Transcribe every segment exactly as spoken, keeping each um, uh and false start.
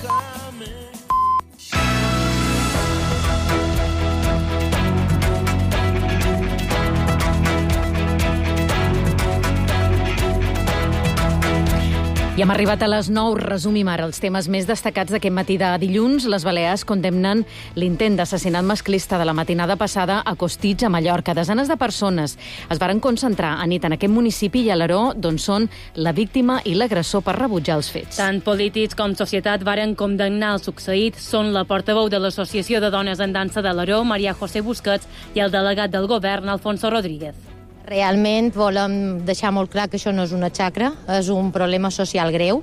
I hem arribat a les nou. Resumim ara els temes més destacats d'aquest matí de dilluns. Les Balears condemnen l'intent d'assassinat masclista de la matinada passada a Costitx, a Mallorca. Desenes de persones es varen concentrar a nit en aquest municipi i a l'Aró, d'on són la víctima i l'agressor, per rebutjar els fets. Tant polítics com societat varen condemnar el succeït. Són la portaveu de l'Associació de Dones en Dansa de l'Aró, Maria José Busquets, i el delegat del govern, Alfonso Rodríguez. Realment volem deixar molt clar que això no és una xacra, és un problema social greu,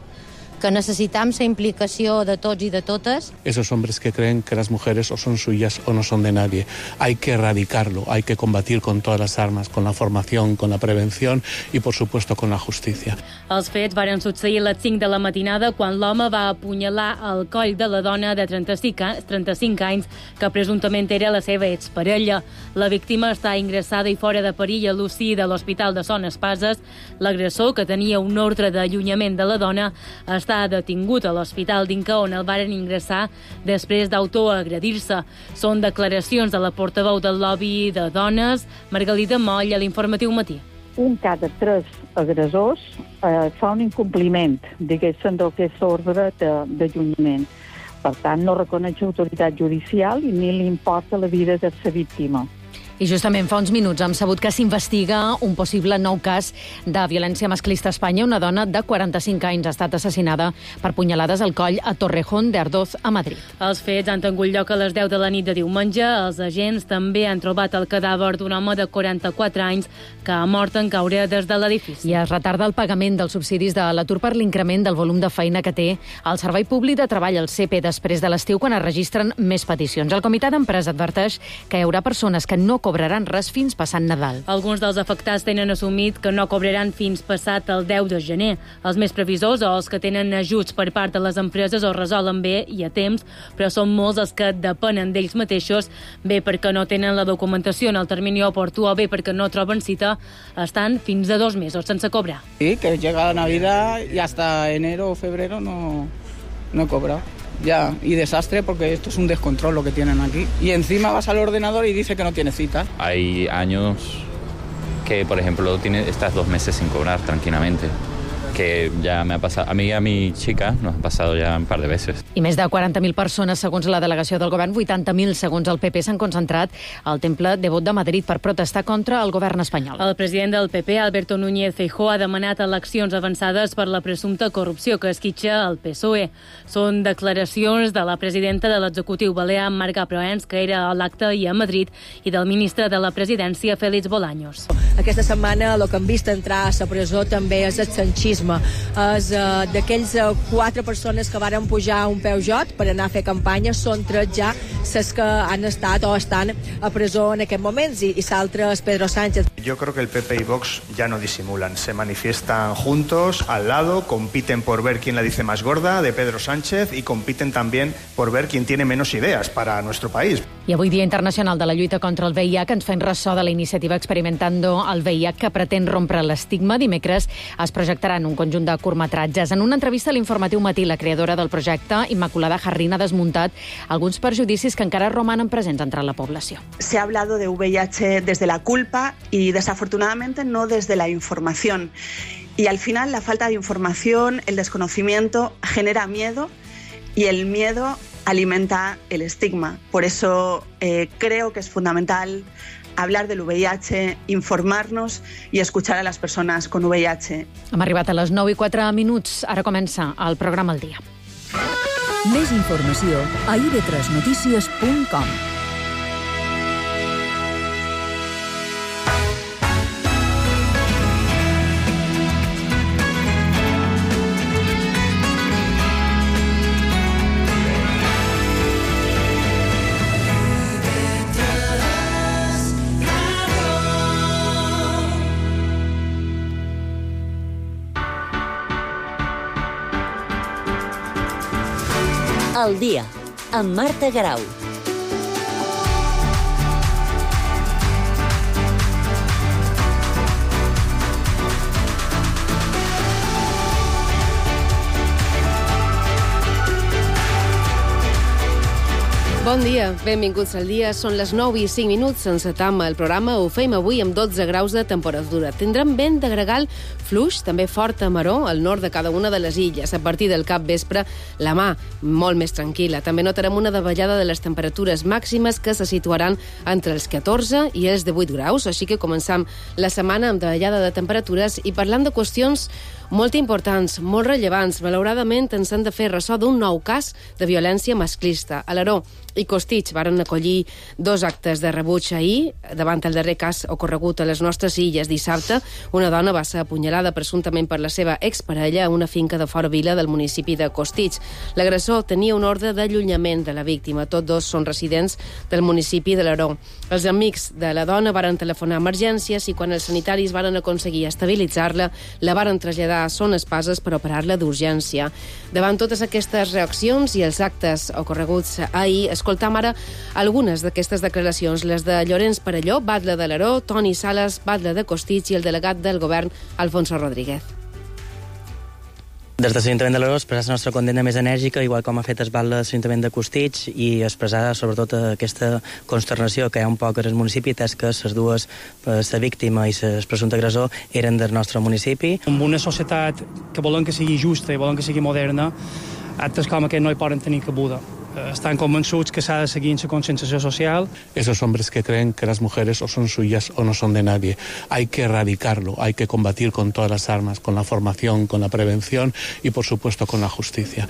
que necessitam la implicació de tots i de totes. Esos hombres que creen que las mujeres o son suyas o no son de nadie. Hay que erradicarlo, hay que combatir con todas las armas, con la formación, con la prevención y, por supuesto, con la justicia. Els fets varen succeir a les cinc de la matinada quan l'home va apunyalar el coll de la dona de trenta-cinc anys que presumptament era la seva exparella. La víctima està ingressada i fora de perill a l'U C I de l'Hospital de Son Espases. L'agressor, que tenia un ordre d'allunyament de la dona, està detingut a l'Hospital d'Inca, on el varen ingressar després d'autoagredir-se. Són declaracions de la portaveu del lobby de dones, Margalida Moll, a l'Informatiu Matí. Un cada tres agressors eh, fa un incompliment, diguéssim, del que és l'ordre d'allunyament. Per tant, no reconeix autoritat judicial i ni li importa la vida de la víctima. I justament fa uns minuts hem sabut que s'investiga un possible nou cas de violència masclista a Espanya. Una dona de quaranta-cinc anys ha estat assassinada per punyalades al coll a Torrejón de Ardoz, a Madrid. Els fets han tingut lloc a les deu de la nit de diumenge. Els agents també han trobat el cadàver d'un home de quaranta-quatre anys que ha mort en caure des de l'edifici. I es retarda el pagament dels subsidis de l'atur per l'increment del volum de feina que té el Servei Públic de Treball, el C P, després de l'estiu, quan es registren més peticions. El Comitè d'Empresa adverteix que hi haurà persones que no cobraran res fins passant Nadal. Alguns dels afectats tenen assumit que no cobraran fins passat el deu de gener. Els més previsors o els que tenen ajuts per part de les empreses o resolen bé i a temps, però són molts els que depenen d'ells mateixos, bé perquè no tenen la documentació en el termini oportú o bé perquè no troben cita, estan fins a dos mesos sense cobrar. Sí, que llega la Navidad y hasta enero o febrero no, no cobra. Ya, y desastre porque esto es un descontrol lo que tienen aquí. Y encima vas al ordenador y dice que no tiene cita. Hay años que, por ejemplo, tiene, estás dos meses sin cobrar tranquilamente. Que ja m'ha passat, a mi i a mi chica nos ha passat ja un par de veces. I més de quaranta mil persones, segons la delegació del govern, vuitanta mil segons el P P, s'han concentrat al Temple Devot de Madrid per protestar contra el govern espanyol. El president del P P, Alberto Núñez Feijóo, ha demanat eleccions avançades per la presumpta corrupció que esquitxa el P S O E. Són declaracions de la presidenta de l'executiu balear, Marga Proens, que era a l'acte i a Madrid, i del ministre de la presidència, Félix Bolaños. Aquesta setmana el que han vist entrar a la presó també és el sanchisme. És uh, d'aquells uh, quatre persones que varen pujar a un Peugeot per anar a fer campanya, són tres ja les que han estat o estan a presó en aquests moments, i, i l'altre és Pedro Sánchez. Yo creo que el P P y Vox ya no disimulan, se manifiestan juntos, al lado, compiten por ver quién la dice más gorda de Pedro Sánchez y compiten también por ver quién tiene menos ideas para nuestro país. I avui, Dia Internacional de la Lluita contra el V I H, ens fem ressò de la iniciativa Experimentando el V I H, que pretén rompre l'estigma. Dimecres es projectaran un conjunt de curtmetratges. En una entrevista a l'Informatiu Matí, la creadora del projecte, Immaculada Jarrín, ha desmuntat alguns perjudicis que encara romanen presents entre la població. Se ha hablado de V I H desde la culpa y desafortunadamente no desde la información. Y al final la falta de información, el desconocimiento genera miedo y el miedo alimenta el estigma. Por eso eh, creo que es fundamental hablar del V I H, informarnos i escuchar a les persones con V I H. Hem arribat a les nou i quatre minuts. Ara comença el programa El Dia. Més informació a i ve tres notícies punt com. El Dia, amb Marta Garau. Bon dia, benvinguts al dia. Són les nou i cinc minuts, sense tam el programa. Ho fem avui amb dotze graus de temperatura. Tindrem vent de gregal fluix, també fort a maró, al nord de cada una de les illes. A partir del cap vespre, la mà molt més tranquil·la. També notarem una davallada de les temperatures màximes que se situaran entre els catorze i els divuit graus. Així que començam la setmana amb davallada de temperatures i parlant de qüestions molt importants, molt rellevants. Malauradament ens han de fer ressò d'un nou cas de violència masclista. A l'Aró i Costitx varen acollir dos actes de rebuig ahir davant el darrer cas ocorregut a les nostres illes. Dissabte, una dona va ser apunyalada presumptament per la seva exparella a una finca de Fora Vila del municipi de Costitx. L'agressor tenia un ordre d'allunyament de la víctima. Tots dos són residents del municipi de l'Aró. Els amics de la dona varen telefonar a emergències i quan els sanitaris varen aconseguir estabilitzar-la, la varen traslladar a Son Espases per operar-la d'urgència. Davant totes aquestes reaccions i els actes ocorreguts ahir, escoltam ara algunes d'aquestes declaracions, les de Llorenç Parelló, batlle de l'Aró, Toni Sales, batlle de Costitx, i el delegat del govern, Alfonso Rodríguez. Des de l'Ajuntament de l'Aró expressar la nostra condemna més enèrgica, igual com ha fet el batlle de l'Ajuntament de Costitx, i expressar sobretot aquesta consternació que hi ha un poc al municipi, atès que les dues, la víctima i el presumpte agressor, eren del nostre municipi. En una societat que volen que sigui justa i volen que sigui moderna, actes com aquest no hi poden tenir cabuda. Están convençuts que s'ha de seguir en la conscienciació social. Esos hombres que creen que las mujeres o son suyas o no son de nadie. Hay que erradicarlo, hay que combatir con todas las armas, con la formación, con la prevención y, por supuesto, con la justicia.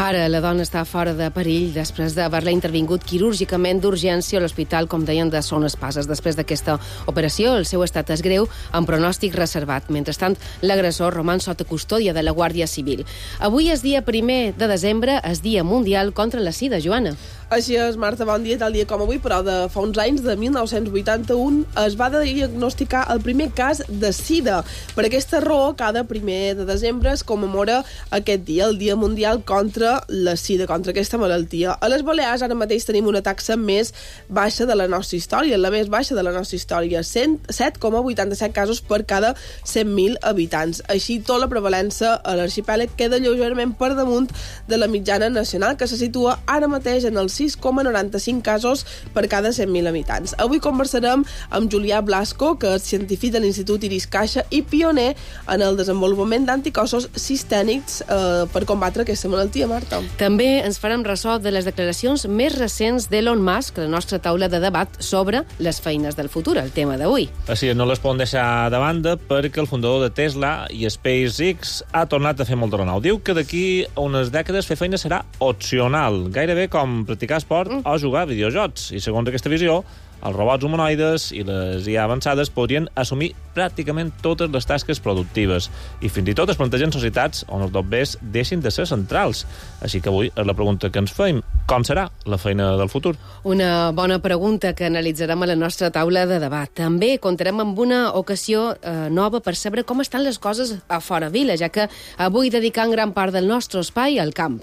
Ara la dona està fora de perill després d'haver-la intervingut quirúrgicament d'urgència a l'hospital, com deien, de Son Espases. Després d'aquesta operació, el seu estat és greu, amb pronòstic reservat. Mentrestant, l'agressor roman sota custòdia de la Guàrdia Civil. Avui és dia primer de desembre, és dia mundial contra la sida, Joana. Així és, Marta, bon dia, tal dia com avui, però de fa uns anys, de mil nou-cents vuitanta-u, es va diagnosticar el primer cas de sida. Per aquesta raó, cada primer de desembre es commemora aquest dia, el Dia Mundial contra la sida, contra aquesta malaltia. A les Balears ara mateix tenim una taxa més baixa de la nostra història, la més baixa de la nostra història, set coma vuitanta-set casos per cada cent mil habitants. Així, tota la prevalença a l'arxipèlag queda lleugerament per damunt de la mitjana nacional, que se situa ara mateix en els sis coma noranta-cinc casos per cada cent mil habitants. Avui conversarem amb Julià Blasco, que és científic de l'Institut Iris Caixa i pioner en el desenvolupament d'anticossos sistèmics eh, per combatre aquesta malaltia, Marta. També ens farem ressò de les declaracions més recents d'Elon Musk, la nostra taula de debat sobre les feines del futur, el tema d'avui. Així, no les poden deixar de banda perquè el fundador de Tesla i SpaceX ha tornat a fer molt de renou. Diu que d'aquí a unes dècades fer feina serà opcional, gairebé com practicar esport o jugar a videojocs. I segons aquesta visió, els robots humanoides i les I A avançades podrien assumir pràcticament totes les tasques productives. I fins i tot es plantegen societats on els dobbers deixin de ser centrals. Així que avui és la pregunta que ens fem. Com serà la feina del futur? Una bona pregunta que analitzarem a la nostra taula de debat. També comptarem amb una ocasió eh, nova per saber com estan les coses a Fora Vila, ja que avui dedicant gran part del nostre espai al camp.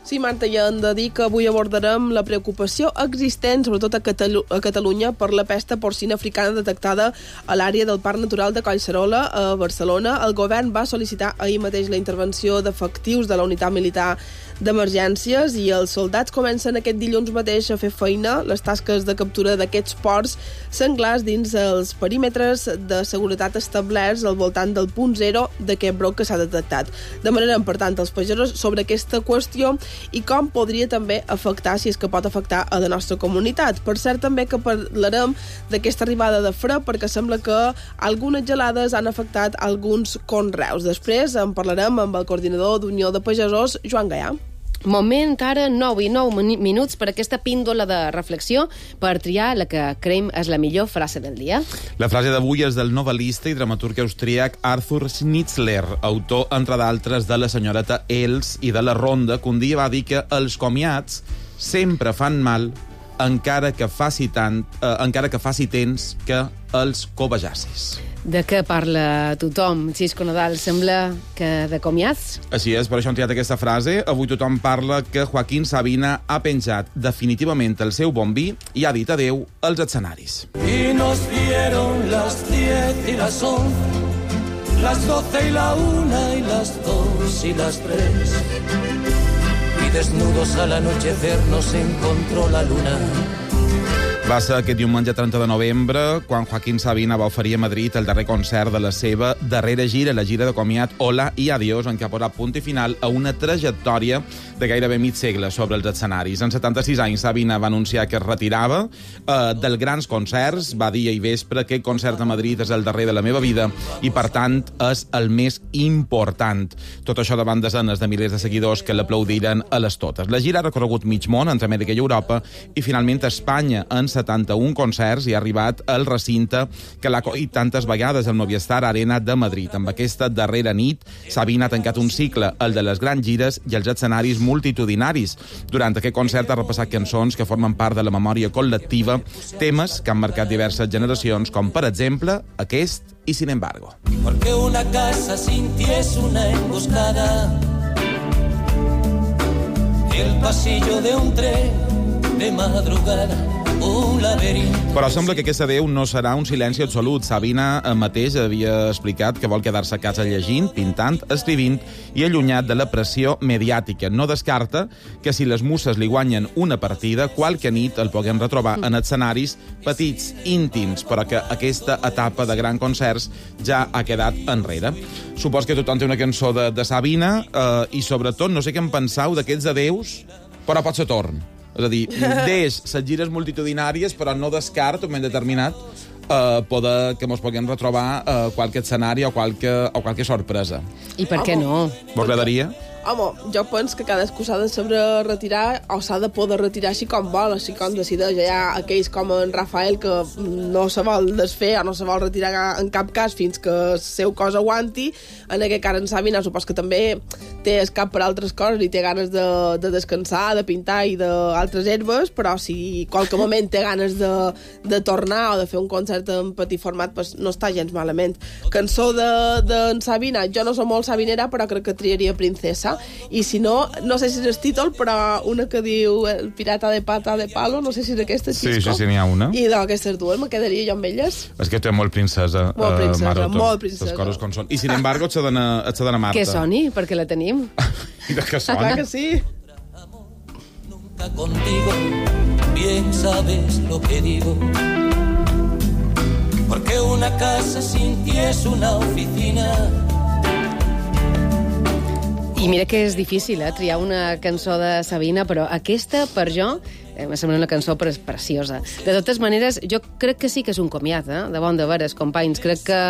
Sí, Marta, ja hem de dir que avui abordarem la preocupació existent, sobretot a, Catalu a Catalunya, per la pesta porcina africana detectada a l'àrea del Parc Natural de Collserola, a Barcelona. El govern va sol·licitar ahir mateix la intervenció d'efectius de la unitat militar d'emergències i els soldats comencen aquest dilluns mateix a fer feina, les tasques de captura d'aquests porcs senglars dins els perímetres de seguretat establerts al voltant del punt zero d'aquest brot que s'ha detectat. Demanarem, per tant, als pagesos sobre aquesta qüestió i com podria també afectar, si és que pot afectar a la nostra comunitat. Per cert, també que parlarem d'aquesta arribada de fred, perquè sembla que algunes gelades han afectat alguns conreus. Després en parlarem amb el coordinador d'Unió de Pagesos, Joan Gaià. Moment ara, nou i nou minuts per aquesta píndola de reflexió per triar la que creiem és la millor frase del dia. La frase d'avui és del novel·lista i dramaturg austríac Arthur Schnitzler, autor, entre d'altres, de La senyoreta Els i de La ronda, que un dia va dir que els comiats sempre fan mal encara que faci tant, eh, encara que faci temps que els cobejassis. De què parla tothom? Xisco Nadal, sembla que de comiats? Així és, per això hem triat aquesta frase. Avui tothom parla que Joaquín Sabina ha penjat definitivament el seu bon vi i ha dit adeu als escenaris. Y nos dieron las diez y las once, las doce y la una y las dos y las tres. desnudos al anochecer nos encontró la luna. Va ser aquest diumenge trenta de novembre quan Joaquín Sabina va oferir a Madrid el darrer concert de la seva darrera gira, la gira de comiat Hola i Adiós, en què ha posat punt i final a una trajectòria de gairebé mig segle sobre els escenaris. En setanta-sis anys, Sabina va anunciar que es retirava eh, dels grans concerts, va dir ahir vespre que el concert a Madrid és el darrer de la meva vida i, per tant, és el més important. Tot això davant desenes de milers de seguidors que l'aplaudiren a les totes. La gira ha recorregut mig món, entre Amèrica i Europa, i finalment a Espanya, en setanta-un concerts, i ha arribat al recinte que l'ha acollit tantes vegades, el Movistar Arena de Madrid. Amb aquesta darrera nit, Sabina ha tancat un cicle, el de les grans gires i els escenaris multitudinaris. Durant aquest concert ha repassat cançons que formen part de la memòria col·lectiva, temes que han marcat diverses generacions, com, per exemple, aquest i Sin embargo. Porque una casa sin ti es una emboscada, el pasillo de un tren de madrugada, un laberinto. Però sembla que aquest adéu no serà un silenci absolut. Sabina mateix havia explicat que vol quedar-se a casa llegint, pintant, escrivint i allunyat de la pressió mediàtica. No descarta que si les musses li guanyen una partida, qualque nit el puguem retrobar en escenaris petits, íntims, però que aquesta etapa de grans concerts ja ha quedat enrere. Supos que tothom té una cançó de, de Sabina eh, i, sobretot, no sé què en penseu d'aquests adeus, però pot ser torn. És a dir, deix les gires multitudinàries, però no descarta, un moment determinat, eh, poder que mos puguem retrobar eh, qualque escenari o qualque, o qualque sorpresa. I per què no? Vos agradaria? Home, jo penso que cadascú s'ha de saber retirar o s'ha de poder retirar així com vol, així com decideix. Hi ha aquells com en Rafael que no se vol desfer o no se vol retirar en cap cas fins que el seu cos aguanti. En aquest cas en Sabina supos que també té el cap per altres coses i té ganes de, de descansar, de pintar i d'altres herbes, però si qualque moment té ganes de, de tornar o de fer un concert en petit format, pues no està gens malament. Cançó d'en de, de Sabina, jo no soc molt sabinera, però crec que triaria Princesa. I si no, no sé si és el títol, però una que diu El pirata de pata de palo, no sé si és aquesta, Xisco. Sí, sí, sí, n'hi ha una. I d'aquestes dues me quedaria jo amb elles. És que té molt princesa. Molt princesa, uh, Maroto, molt princesa. Les coses com són. I, sin embargo, et s'ha d'anar Marta. Que soni, perquè la tenim. I de què sona? Clar que sí. Nunca contigo, bien sabes lo que digo. Porque una casa sin ti es una oficina. I mira que és difícil, eh, triar una cançó de Sabina, però aquesta, per jo, eh, me sembla una cançó preciosa. De totes maneres, jo crec que sí que és un comiat, eh, de bon de veres, companys. Crec que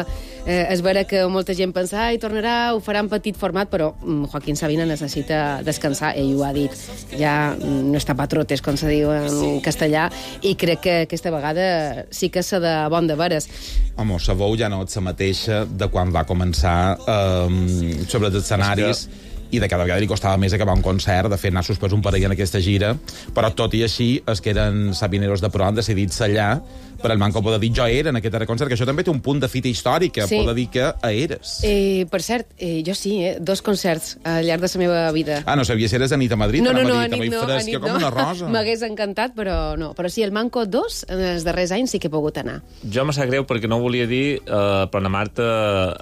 eh, és vera que molta gent pensa ai, tornarà, ho farà en petit format, però mm, Joaquín Sabina necessita descansar, ell ho ha dit. Ja mm, no està patrotes, com se diu en castellà, i crec que aquesta vegada sí que s'ha de bon de veres. Home, la veu ja no és la mateixa de quan va començar eh, sobre els escenaris, i de cada vegada li costava més acabar un concert, de fet, anar suspès un parell en aquesta gira, però tot i així, els que eren sabineros de pro han decidit sellar per el manco poder dir jo era en aquest darrer concert, que això també té un punt de fita històrica, sí. Poder dir que eres. Eh, per cert, eh, jo sí, eh, dos concerts al llarg de la meva vida. Ah, no sabies si eres a nit a Madrid? No, no, no, a Madrid, nit no, a nit no. Com una rosa. M'hagués encantat, però no. Però sí, el Manco dos, en els darrers anys sí que he pogut anar. Jo me sap greu perquè no ho volia dir, eh, però la Marta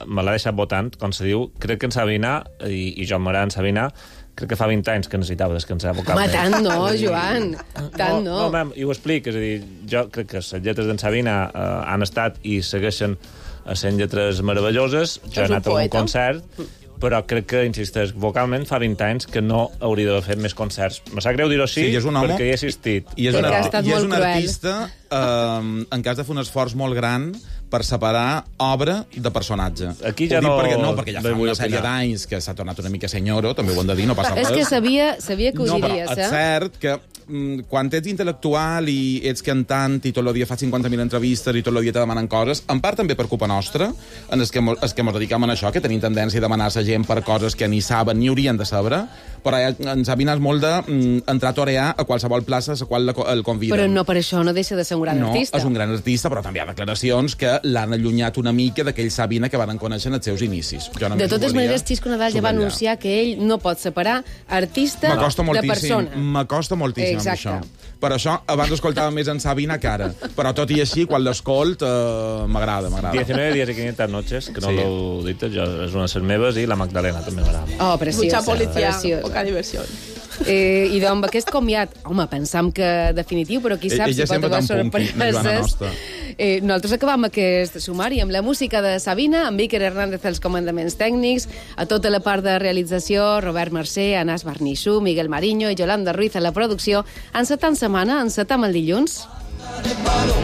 me l'ha deixat votant, com se diu. Crec que en Sabina, i, i jo m'agrada en Sabina, crec que fa vint anys que necessitava descansar vocalment. Home, tant no, Joan, tant no. No, no, i ho explic, és a dir, jo crec que les lletres d'en Sabina eh, han estat i segueixen sent lletres meravelloses. Jo he anat a un concert, però crec que, insisteix, vocalment fa vint anys que no hauria d'haver fet més concerts. Me sap greu dir-ho així, sí, perquè hi he assistit. I és, una, però... i és un artista, eh, en cas de fer un esforç molt gran, per separar obra de personatge. Aquí ja no... Perquè, no, perquè ja fa una sèrie d'anys que s'ha tornat una mica senyoro, també ho hem de dir, no passa res. És que sabia, sabia que ho no, diries, eh? eh? És cert que mm, quan ets intel·lectual i ets cantant i tot el dia fas cinquanta mil entrevistes i tot el dia te demanen coses, en part també per culpa nostra, en els que, els que mos dedicam a això, que tenim tendència a demanar a la gent per coses que ni saben ni haurien de saber, però ens ha vinat molt d'entrar a torear a qualsevol plaça a la qual el conviden. Però no per això no deixa de ser un gran no, artista. No, és un gran artista, però també hi ha declaracions que l'han allunyat una mica d'aquell Sabina que van conèixer en els seus inicis. De totes maneres, Xisco Nadal ja va anunciar que ell no pot separar artista de persona. M'acosta moltíssim amb això. Per això, abans escoltava més en Sabina que ara. Però tot i així, quan l'escolt, eh, m'agrada, m'agrada. diecinueve días y quinientas noches, que no sí. l'ho dit, jo, és una de les meves, i la Magdalena també m'agrada. Oh, preciosa. Mucha policia, preciosa. poca diversión. Eh, I doncs aquest comiat, home, pensam que definitiu, però qui sap Ella si pot haver sorpreses. Eh, nosaltres acabam aquest sumari amb la música de Sabina, amb Iker Hernández als comandaments tècnics, a tota la part de realització, Robert Mercè, Anas Barnissú, Miguel Mariño i Yolanda Ruiz a la producció. Encetant setmana, encetam el dilluns. De palo,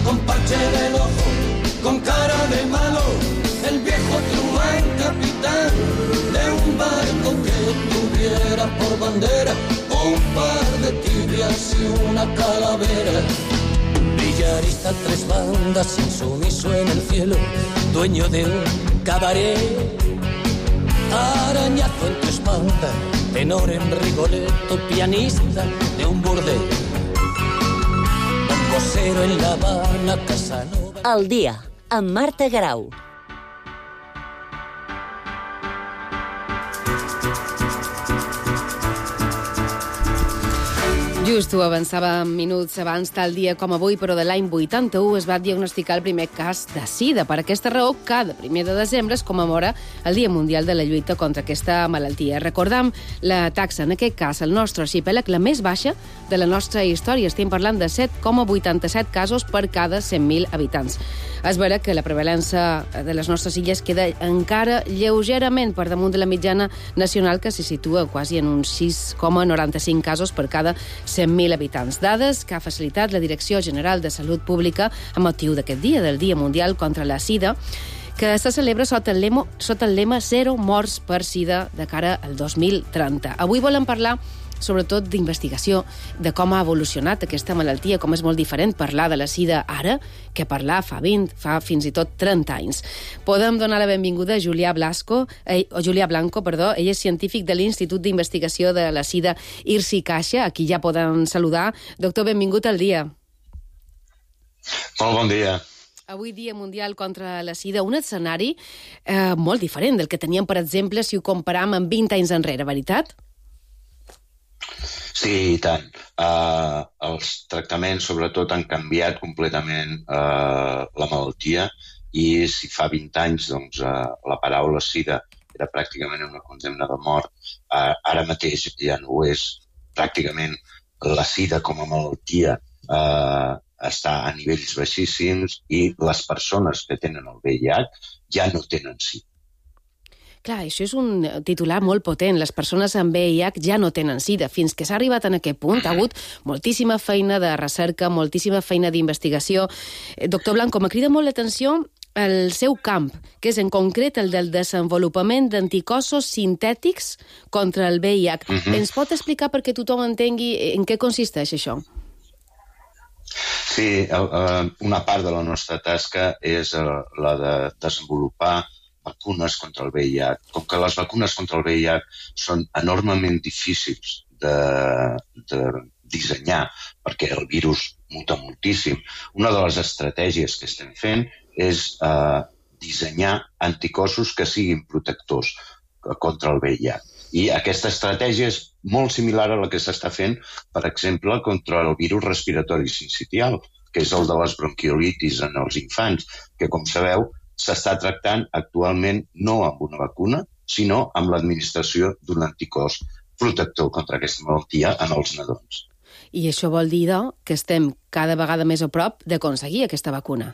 con parche del ojo, con cara de malo, el viejo truán capitán de un barco que tuviera por bandera un par de tibias y una calavera. Villarista, tres bandas, insumiso en el cielo, dueño de un cabaret. Arañazo en tu espalda, tenor en Rigoletto, pianista de un burdel. Cosero en La Habana, Casanova. El dia, amb Marta Grau. Just ho avançava minuts abans, tal dia com avui, però de l'any vuitanta-u es va diagnosticar el primer cas de sida. Per aquesta raó, cada primer de desembre es commemora el Dia Mundial de la Lluita contra aquesta malaltia. Recordam la taxa, en aquest cas, al nostre arxipèlag, la més baixa de la nostra història. Estem parlant de set coma vuitanta-set casos per cada cent mil habitants. És vera que la prevalença de les nostres illes queda encara lleugerament per damunt de la mitjana nacional, que se situa quasi en uns sis coma noranta-cinc casos per cada cent mil habitants. Dades que ha facilitat la Direcció General de Salut Pública amb motiu d'aquest dia, del Dia Mundial contra la Sida, que se celebra sota el lema, sota el lema Zero morts per sida de cara al dos mil trenta. Avui volem parlar sobretot d'investigació, de com ha evolucionat aquesta malaltia, com és molt diferent parlar de la sida ara que parlar fa vint, fa fins i tot trenta anys. Podem donar la benvinguda a Julià Blasco, eh, o Julià Blanco, perdó, ell és científic de l'Institut d'Investigació de la Sida I R S I Caixa, aquí ja podem saludar. Doctor, benvingut al dia. Molt bon dia. Avui Dia Mundial contra la Sida, un escenari eh, molt diferent del que teníem, per exemple, si ho comparam amb vint anys enrere, veritat? Sí, i tant. Uh, els tractaments, sobretot, han canviat completament uh, la malaltia i si fa vint anys doncs, uh, la paraula sida era pràcticament una condemna de mort, uh, ara mateix ja no ho és. Pràcticament la sida com a malaltia uh, està a nivells baixíssims i les persones que tenen el V I H ja no tenen sida. Clar, això és un titular molt potent. Les persones amb V I H ja no tenen sida. Fins que s'ha arribat en aquest punt, ha hagut moltíssima feina de recerca, moltíssima feina d'investigació. Doctor Blanco, me crida molt l'atenció el seu camp, que és en concret el del desenvolupament d'anticossos sintètics contra el V I H. Uh-huh. Ens pot explicar perquè tothom entengui en què consisteix això? Sí, una part de la nostra tasca és la de desenvolupar vacunes contra el V I H. Com que les vacunes contra el V I H són enormement difícils de, de dissenyar perquè el virus muta moltíssim, una de les estratègies que estem fent és eh, dissenyar anticossos que siguin protectors contra el V I H. I aquesta estratègia és molt similar a la que s'està fent, per exemple, contra el virus respiratori sincitial, que és el de les bronquiolitis en els infants, que, com sabeu, s'està tractant actualment no amb una vacuna, sinó amb l'administració d'un anticòs protector contra aquesta malaltia en els nadons. I això vol dir, doncs, que estem cada vegada més a prop d'aconseguir aquesta vacuna?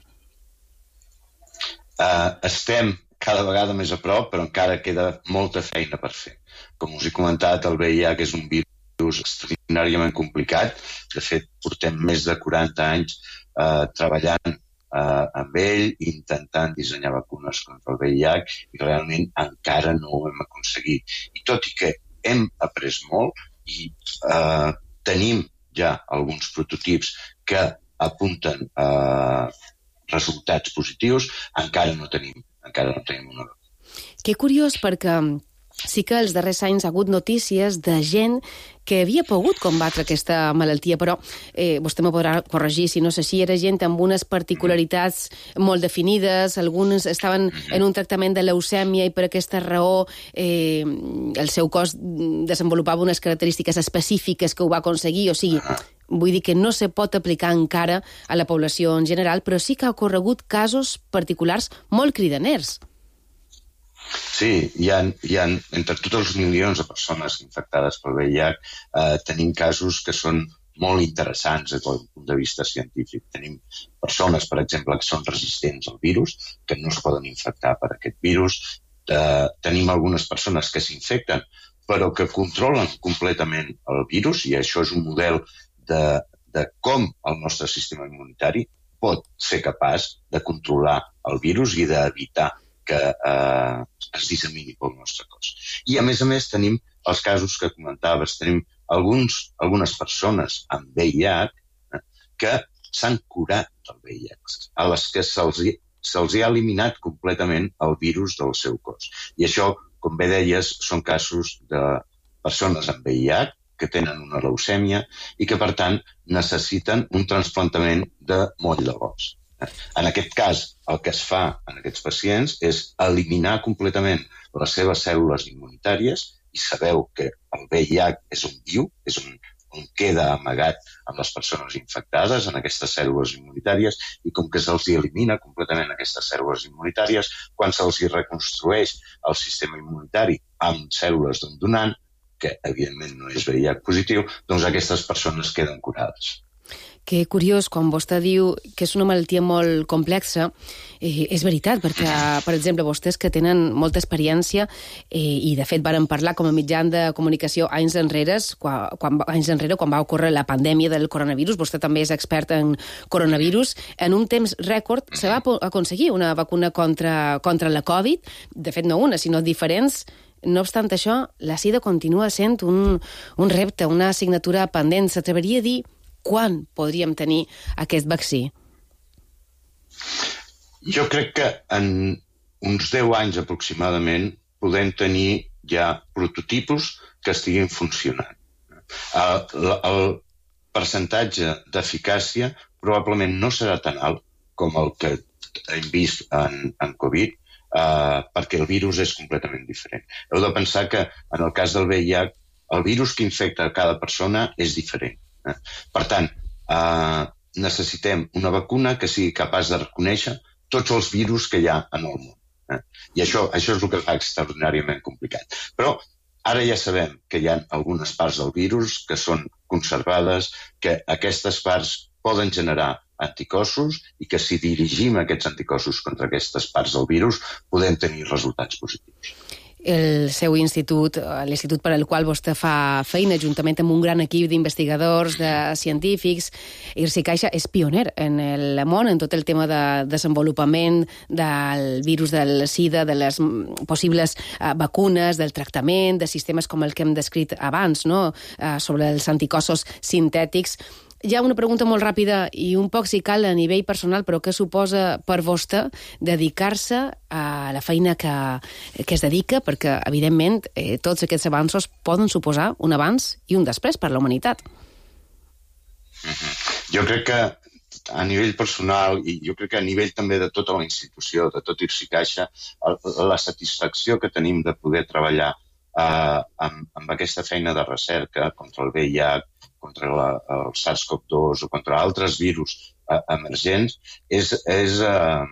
Uh, estem cada vegada més a prop, però encara queda molta feina per fer. Com us he comentat, el V I H és un virus extraordinàriament complicat. De fet, portem més de quaranta anys uh, treballant Uh, amb ell, intentant dissenyar vacunes contra el V I H i realment encara no ho hem aconseguit. I tot i que hem après molt i uh, tenim ja alguns prototips que apunten a uh, resultats positius, encara no tenim, encara no tenim una vacuna. Que curiós, perquè sí que els darrers anys ha hagut notícies de gent que havia pogut combatre aquesta malaltia, però eh, vostè me podrà corregir si no és així, era gent amb unes particularitats molt definides, alguns estaven en un tractament de leucèmia i per aquesta raó eh, el seu cos desenvolupava unes característiques específiques que ho va aconseguir, o sigui, vull dir que no se pot aplicar encara a la població en general, però sí que ha ocorregut casos particulars molt cridaners. Sí, hi ha, hi ha, entre tots els milions de persones infectades pel V I H, eh, tenim casos que són molt interessants des del punt de vista científic. Tenim persones, per exemple, que són resistents al virus, que no es poden infectar per aquest virus. Eh, tenim algunes persones que s'infecten, però que controlen completament el virus, i això és un model de, de com el nostre sistema immunitari pot ser capaç de controlar el virus i d'evitar que eh, es dissemini pel nostre cos. I, a més a més, tenim els casos que comentaves. Tenim alguns, algunes persones amb V I H eh, que s'han curat del V I H, a les que se'ls se'ls ha eliminat completament el virus del seu cos. I això, com bé deies, són casos de persones amb V I H que tenen una leucèmia i que, per tant, necessiten un trasplantament de moll de l'os. En aquest cas, el que es fa en aquests pacients és eliminar completament les seves cèl·lules immunitàries, i sabeu que el V I H és on viu, és on, on queda amagat amb les persones infectades, en aquestes cèl·lules immunitàries, i com que se'ls elimina completament aquestes cèl·lules immunitàries, quan se'ls reconstrueix el sistema immunitari amb cèl·lules d'un donant, que evidentment no és V I H positiu, doncs aquestes persones queden curades. Que curiós, quan vostè diu que és una malaltia molt complexa, eh, és veritat, perquè, per exemple, vostès que tenen molta experiència, eh, i de fet varen parlar com a mitjan de comunicació anys enrere, quan, quan, anys enrere, quan va ocórrer la pandèmia del coronavirus, vostè també és expert en coronavirus, en un temps rècord se va aconseguir una vacuna contra, contra la Covid, de fet no una, sinó diferents. No obstant això, la sida continua sent un, un repte, una assignatura pendent. S'atreveria a dir quan podríem tenir aquest vaccí? Jo crec que en uns deu anys aproximadament podem tenir ja prototipus que estiguin funcionant. El, el percentatge d'eficàcia probablement no serà tan alt com el que hem vist en, en Covid, eh, perquè el virus és completament diferent. Heu de pensar que en el cas del V I H, el virus que infecta cada persona és diferent. Per tant, eh, necessitem una vacuna que sigui capaç de reconèixer tots els virus que hi ha en el món. Eh? I això, això és el que fa extraordinàriament complicat. Però ara ja sabem que hi ha algunes parts del virus que són conservades, que aquestes parts poden generar anticossos i que si dirigim aquests anticossos contra aquestes parts del virus podem tenir resultats positius. El seu institut, l'institut per al qual vostè fa feina, juntament amb un gran equip d'investigadors, de científics, I R S I Caixa és pioner en el món, en tot el tema de desenvolupament del virus del SIDA, de les possibles uh, vacunes, del tractament, de sistemes com el que hem descrit abans, no? uh, sobre els anticossos sintètics. Hi ha una pregunta molt ràpida i un poc si cal a nivell personal, però què suposa per vostè dedicar-se a la feina que, que es dedica? Perquè, evidentment, eh, tots aquests avanços poden suposar un abans i un després per la humanitat. Mm-hmm. Jo crec que a nivell personal i jo crec que a nivell també de tota la institució, de tot I R S I Caixa, la satisfacció que tenim de poder treballar eh, amb, amb aquesta feina de recerca contra el V I H, contra la, el SARS-CoV dos o contra altres virus eh, emergents, és, és, eh,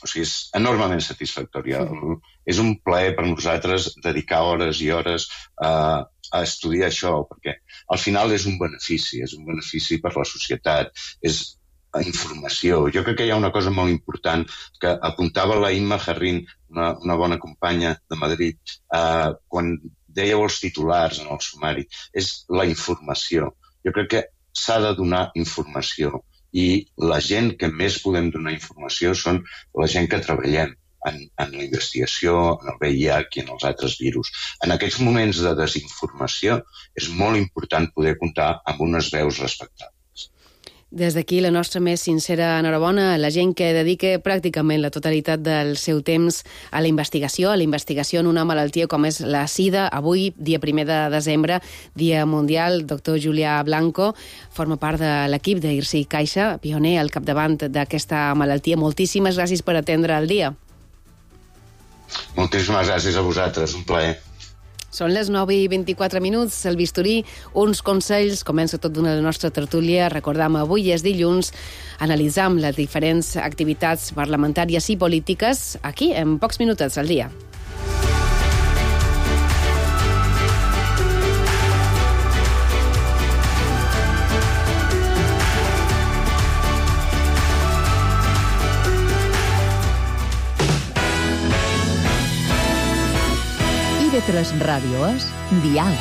o sigui, és enormement satisfactòria. Sí. És un plaer per nosaltres dedicar hores i hores eh, a estudiar això, perquè al final és un benefici, és un benefici per la societat, és informació. Jo crec que hi ha una cosa molt important que apuntava la Imma Jarrín, una, una bona companya de Madrid, eh, quan dèieu els titulars en el sumari, és la informació. Jo crec que s'ha de donar informació i la gent que més podem donar informació són la gent que treballem en, en la investigació, en el V I H i en els altres virus. En aquests moments de desinformació és molt important poder comptar amb unes veus respectables. Des d'aquí la nostra més sincera enhorabona a la gent que dedica pràcticament la totalitat del seu temps a la investigació, a la investigació en una malaltia com és la SIDA. Avui, dia primer de desembre, Dia Mundial, doctor Julià Blanco, forma part de l'equip de I R S I Caixa, pioner al capdavant d'aquesta malaltia. Moltíssimes gràcies per atendre el dia. Moltíssimes gràcies a vosaltres, un plaer. Són les nou i vint-i-quatre minuts, el bisturí, uns consells, comença tot d'una de la nostra tertúlia. Recordam, avui és dilluns, analitzam les diferents activitats parlamentàries i polítiques aquí, en pocs minutets al dia. I V tres Ràdio és Dial.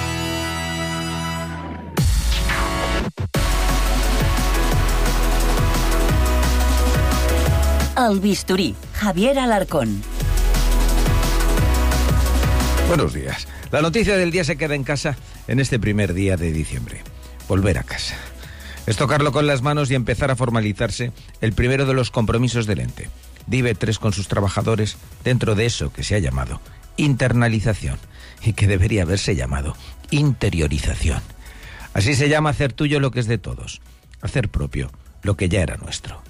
El bisturí, Javier Alarcón. Buenos días. La noticia del día se queda en casa en este primer día de diciembre. Volver a casa. Es tocarlo con las manos y empezar a formalizarse el primero de los compromisos del ente, de I V tres con sus trabajadores, dentro de eso que se ha llamado internalización y que debería haberse llamado interiorización. Así se llama hacer tuyo lo que es de todos, hacer propio lo que ya era nuestro.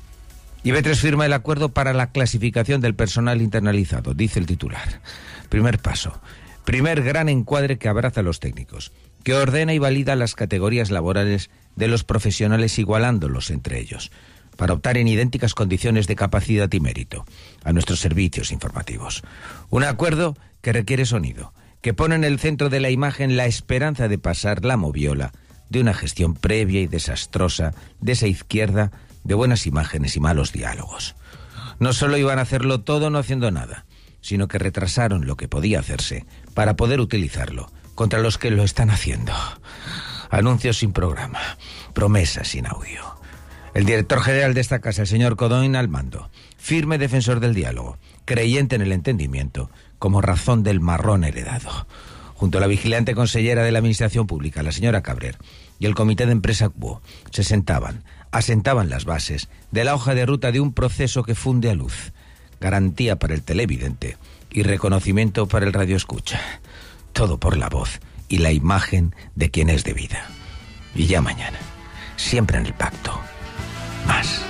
I V tres firma el acuerdo para la clasificación del personal internalizado, dice el titular. Primer paso, primer gran encuadre que abraza a los técnicos, que ordena y valida las categorías laborales de los profesionales igualándolos entre ellos, para optar en idénticas condiciones de capacidad y mérito a nuestros servicios informativos. Un acuerdo que requiere sonido, que pone en el centro de la imagen la esperanza de pasar la moviola de una gestión previa y desastrosa de esa izquierda de buenas imágenes y malos diálogos. No solo iban a hacerlo todo no haciendo nada, sino que retrasaron lo que podía hacerse para poder utilizarlo contra los que lo están haciendo. Anuncios sin programa, promesas sin audio. El director general de esta casa, el señor Codón, al mando, firme defensor del diálogo, creyente en el entendimiento como razón del marrón heredado. Junto a la vigilante consellera de la Administración Pública, la señora Cabrer, y el comité de empresa C U O, se sentaban, asentaban las bases de la hoja de ruta de un proceso que funde a luz, garantía para el televidente y reconocimiento para el radioescucha. Todo por la voz y la imagen de quien es de vida. Y ya mañana, siempre en el pacto, más.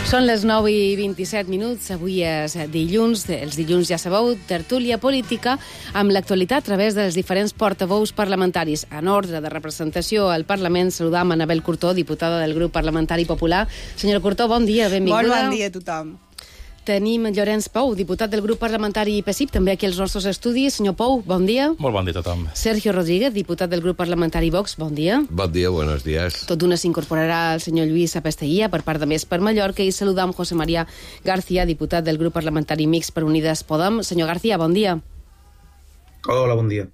Són les nou i vint-i-set minuts, avui és dilluns, els dilluns ja sabeu, tertúlia política, amb l'actualitat a través dels diferents portaveus parlamentaris. En ordre de representació al Parlament, saludam Anabel Curtó, diputada del grup parlamentari popular. Senyora Curtó, bon dia, benvinguda. Bon, bon dia a tothom. Tenim Llorenç Pou, diputat del grup parlamentari P S I P, també aquí als nostres estudis. Senyor Pou, bon dia. Molt bon dia a tothom. Sergio Rodríguez, diputat del grup parlamentari Vox, bon dia. Bon dia, buenos días. Tot d'una s'incorporarà el senyor Lluís Apesteguía per part de Més per Mallorca i saludam José María García, diputat del grup parlamentari Mixt per Unides Podem. Senyor García, bon dia. Hola, bon dia.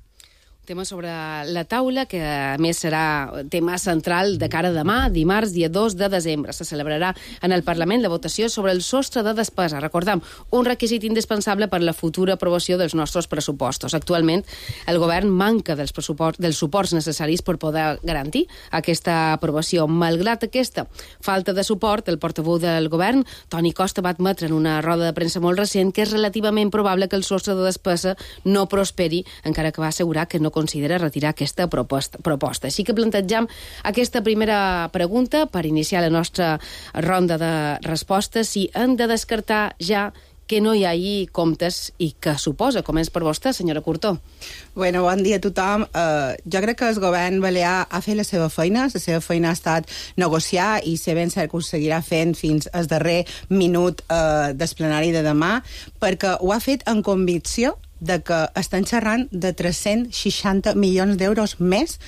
Tema sobre la taula, que a més serà tema central de cara a demà, dimarts, dia dos de desembre. Se celebrarà en el Parlament la votació sobre el sostre de despesa. Recordem, un requisit indispensable per a la futura aprovació dels nostres pressupostos. Actualment, el govern manca dels, dels suports necessaris per poder garantir aquesta aprovació. Malgrat aquesta falta de suport, el portaveu del govern, Toni Costa, va admetre en una roda de premsa molt recent que és relativament probable que el sostre de despesa no prosperi, encara que va assegurar que no considera retirar aquesta proposta. proposta. Així que plantegem aquesta primera pregunta per iniciar la nostra ronda de respostes, si hem de descartar ja que no hi hagi comptes i què suposa. Comença per vostè, senyora Curtó. Bueno, bon dia a tothom. Uh, jo crec que el govern balear ha fet la seva feina. La seva feina ha estat negociar i ser ben cert que ho seguirà fent fins al darrer minut uh, del plenari de demà, perquè ho ha fet en convicció de que estan xerrant de tres-cents seixanta milions d'euros més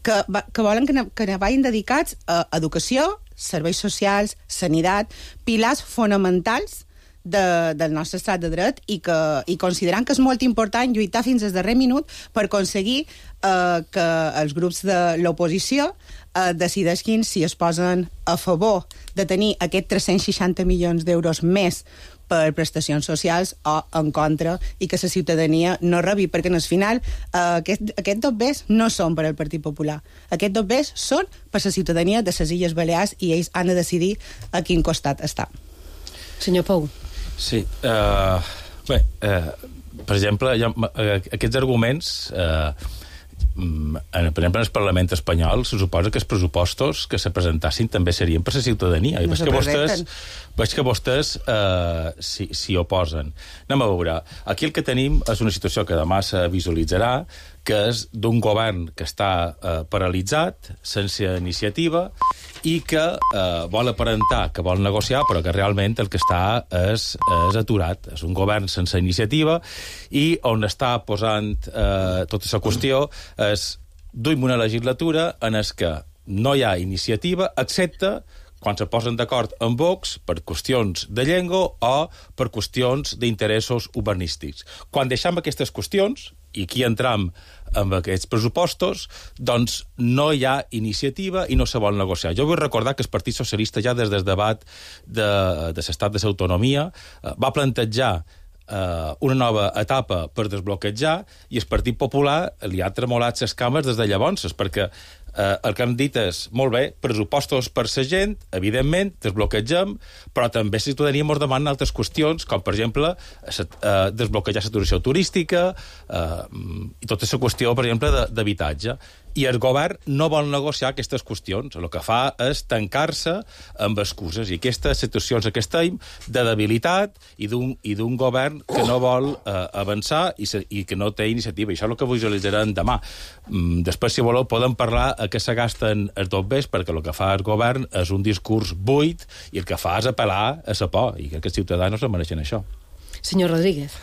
que, que volen que, ne, que ne vagin dedicats a educació, serveis socials, sanitat, pilars fonamentals de, del nostre estat de dret i, que, i considerant que és molt important lluitar fins al darrer minut per aconseguir eh, que els grups de l'oposició eh, decideixin si es posen a favor de tenir aquests tres-cents seixanta milions d'euros més per prestacions socials o en contra i que la ciutadania no rebi, perquè al final eh, aquest, aquests dos bés no són per al Partit Popular. Aquests dos bés són per la ciutadania de les Illes Balears i ells han de decidir a quin costat està. Senyor Pou. Sí, uh, bé, uh, per exemple, ha, uh, aquests arguments... Uh, En, per exemple, en el Parlament espanyol se suposa que els pressupostos que se presentassin també serien per la ciutadania. I no veig que vostès, veig que vostès eh, s'hi si oposen. Anem a veure. Aquí el que tenim és una situació que demà se visualitzarà, que és d'un govern que està eh, paralitzat, sense iniciativa, i que eh, vol aparentar que vol negociar, però que realment el que està és, és aturat. És un govern sense iniciativa i on està posant eh, tota la qüestió és duim una legislatura en el que no hi ha iniciativa, excepte quan se posen d'acord amb Vox per qüestions de llengua o per qüestions d'interessos urbanístics. Quan deixem aquestes qüestions, i aquí entram amb aquests pressupostos, doncs no hi ha iniciativa i no se vol negociar. Jo vull recordar que el Partit Socialista ja des del debat de, de l'estat de l'autonomia va plantejar Uh, una nova etapa per desbloquejar i el Partit Popular li ha tremolat les cames des de llavors, perquè uh, el que han dit és, molt bé, pressupostos per la gent, evidentment, desbloquegem, però també la ciutadania ens demana altres qüestions, com, per exemple, uh, desbloquejar la turística turística uh, i tota la qüestió, per exemple, d'habitatge. I el govern no vol negociar aquestes qüestions. El que fa és tancar-se amb excuses. I aquestes situacions que estem de debilitat i d'un govern que no vol eh, avançar i, se, i que no té iniciativa. I això és el que visualitzarem demà. Mm, després, si voleu, podem parlar a què se gasten els dobbers, perquè el que fa el govern és un discurs buit i el que fa és apel·lar a la por. I crec que els ciutadans no mereixen això. Senyor Rodríguez.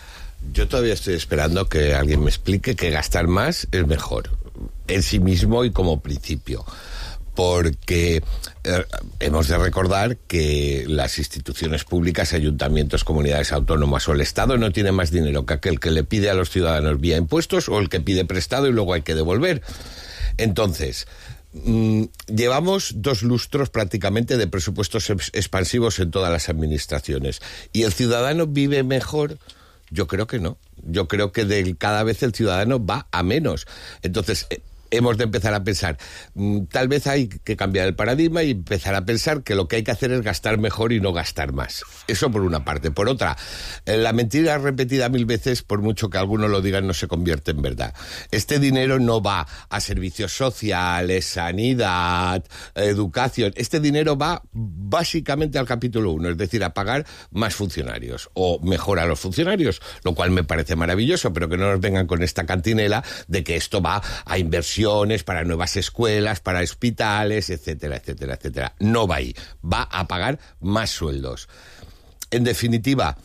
Yo todavía estoy esperando que alguien me explique que gastar más es mejor, en sí mismo y como principio. Porque eh, hemos de recordar que las instituciones públicas, ayuntamientos, comunidades autónomas o el Estado no tienen más dinero que aquel que le pide a los ciudadanos vía impuestos o el que pide prestado y luego hay que devolver. Entonces, mmm, llevamos dos lustros prácticamente de presupuestos expansivos en todas las administraciones. ¿Y el ciudadano vive mejor? Yo creo que no. Yo creo que de, cada vez el ciudadano va a menos. Entonces, eh, hemos de empezar a pensar, mmm, tal vez hay que cambiar el paradigma y empezar a pensar que lo que hay que hacer es gastar mejor y no gastar más. Eso por una parte. Por otra, eh, la mentira repetida mil veces, por mucho que algunos lo digan, no se convierte en verdad. Este dinero no va a servicios sociales, sanidad, educación. Este dinero va básicamente al capítulo uno, es decir, a pagar más funcionarios o mejor a los funcionarios, lo cual me parece maravilloso, pero que no nos vengan con esta cantinela de que esto va a inversión para nuevas escuelas, para hospitales, etcétera, etcétera, etcétera. No va ahí. Va a pagar más sueldos. En definitiva,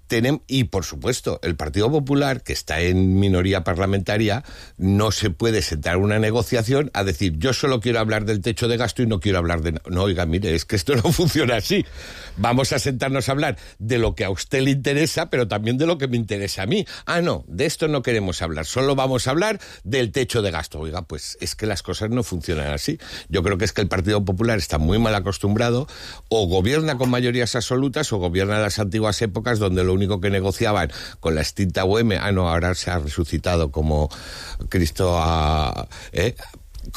tenemos, y por supuesto, el Partido Popular, que está en minoría parlamentaria, no se puede sentar una negociación a decir, yo solo quiero hablar del techo de gasto y no quiero hablar de... No, oiga, mire, es que esto no funciona así. Vamos a sentarnos a hablar de lo que a usted le interesa, pero también de lo que me interesa a mí. Ah, no, de esto no queremos hablar, solo vamos a hablar del techo de gasto. Oiga, pues es que las cosas no funcionan así. Yo creo que es que el Partido Popular está muy mal acostumbrado, o gobierna con mayorías absolutas, o gobierna en las antiguas épocas donde lo único que negociaban con la extinta U M, ah, no, ahora se ha resucitado como Cristo a... ¿eh?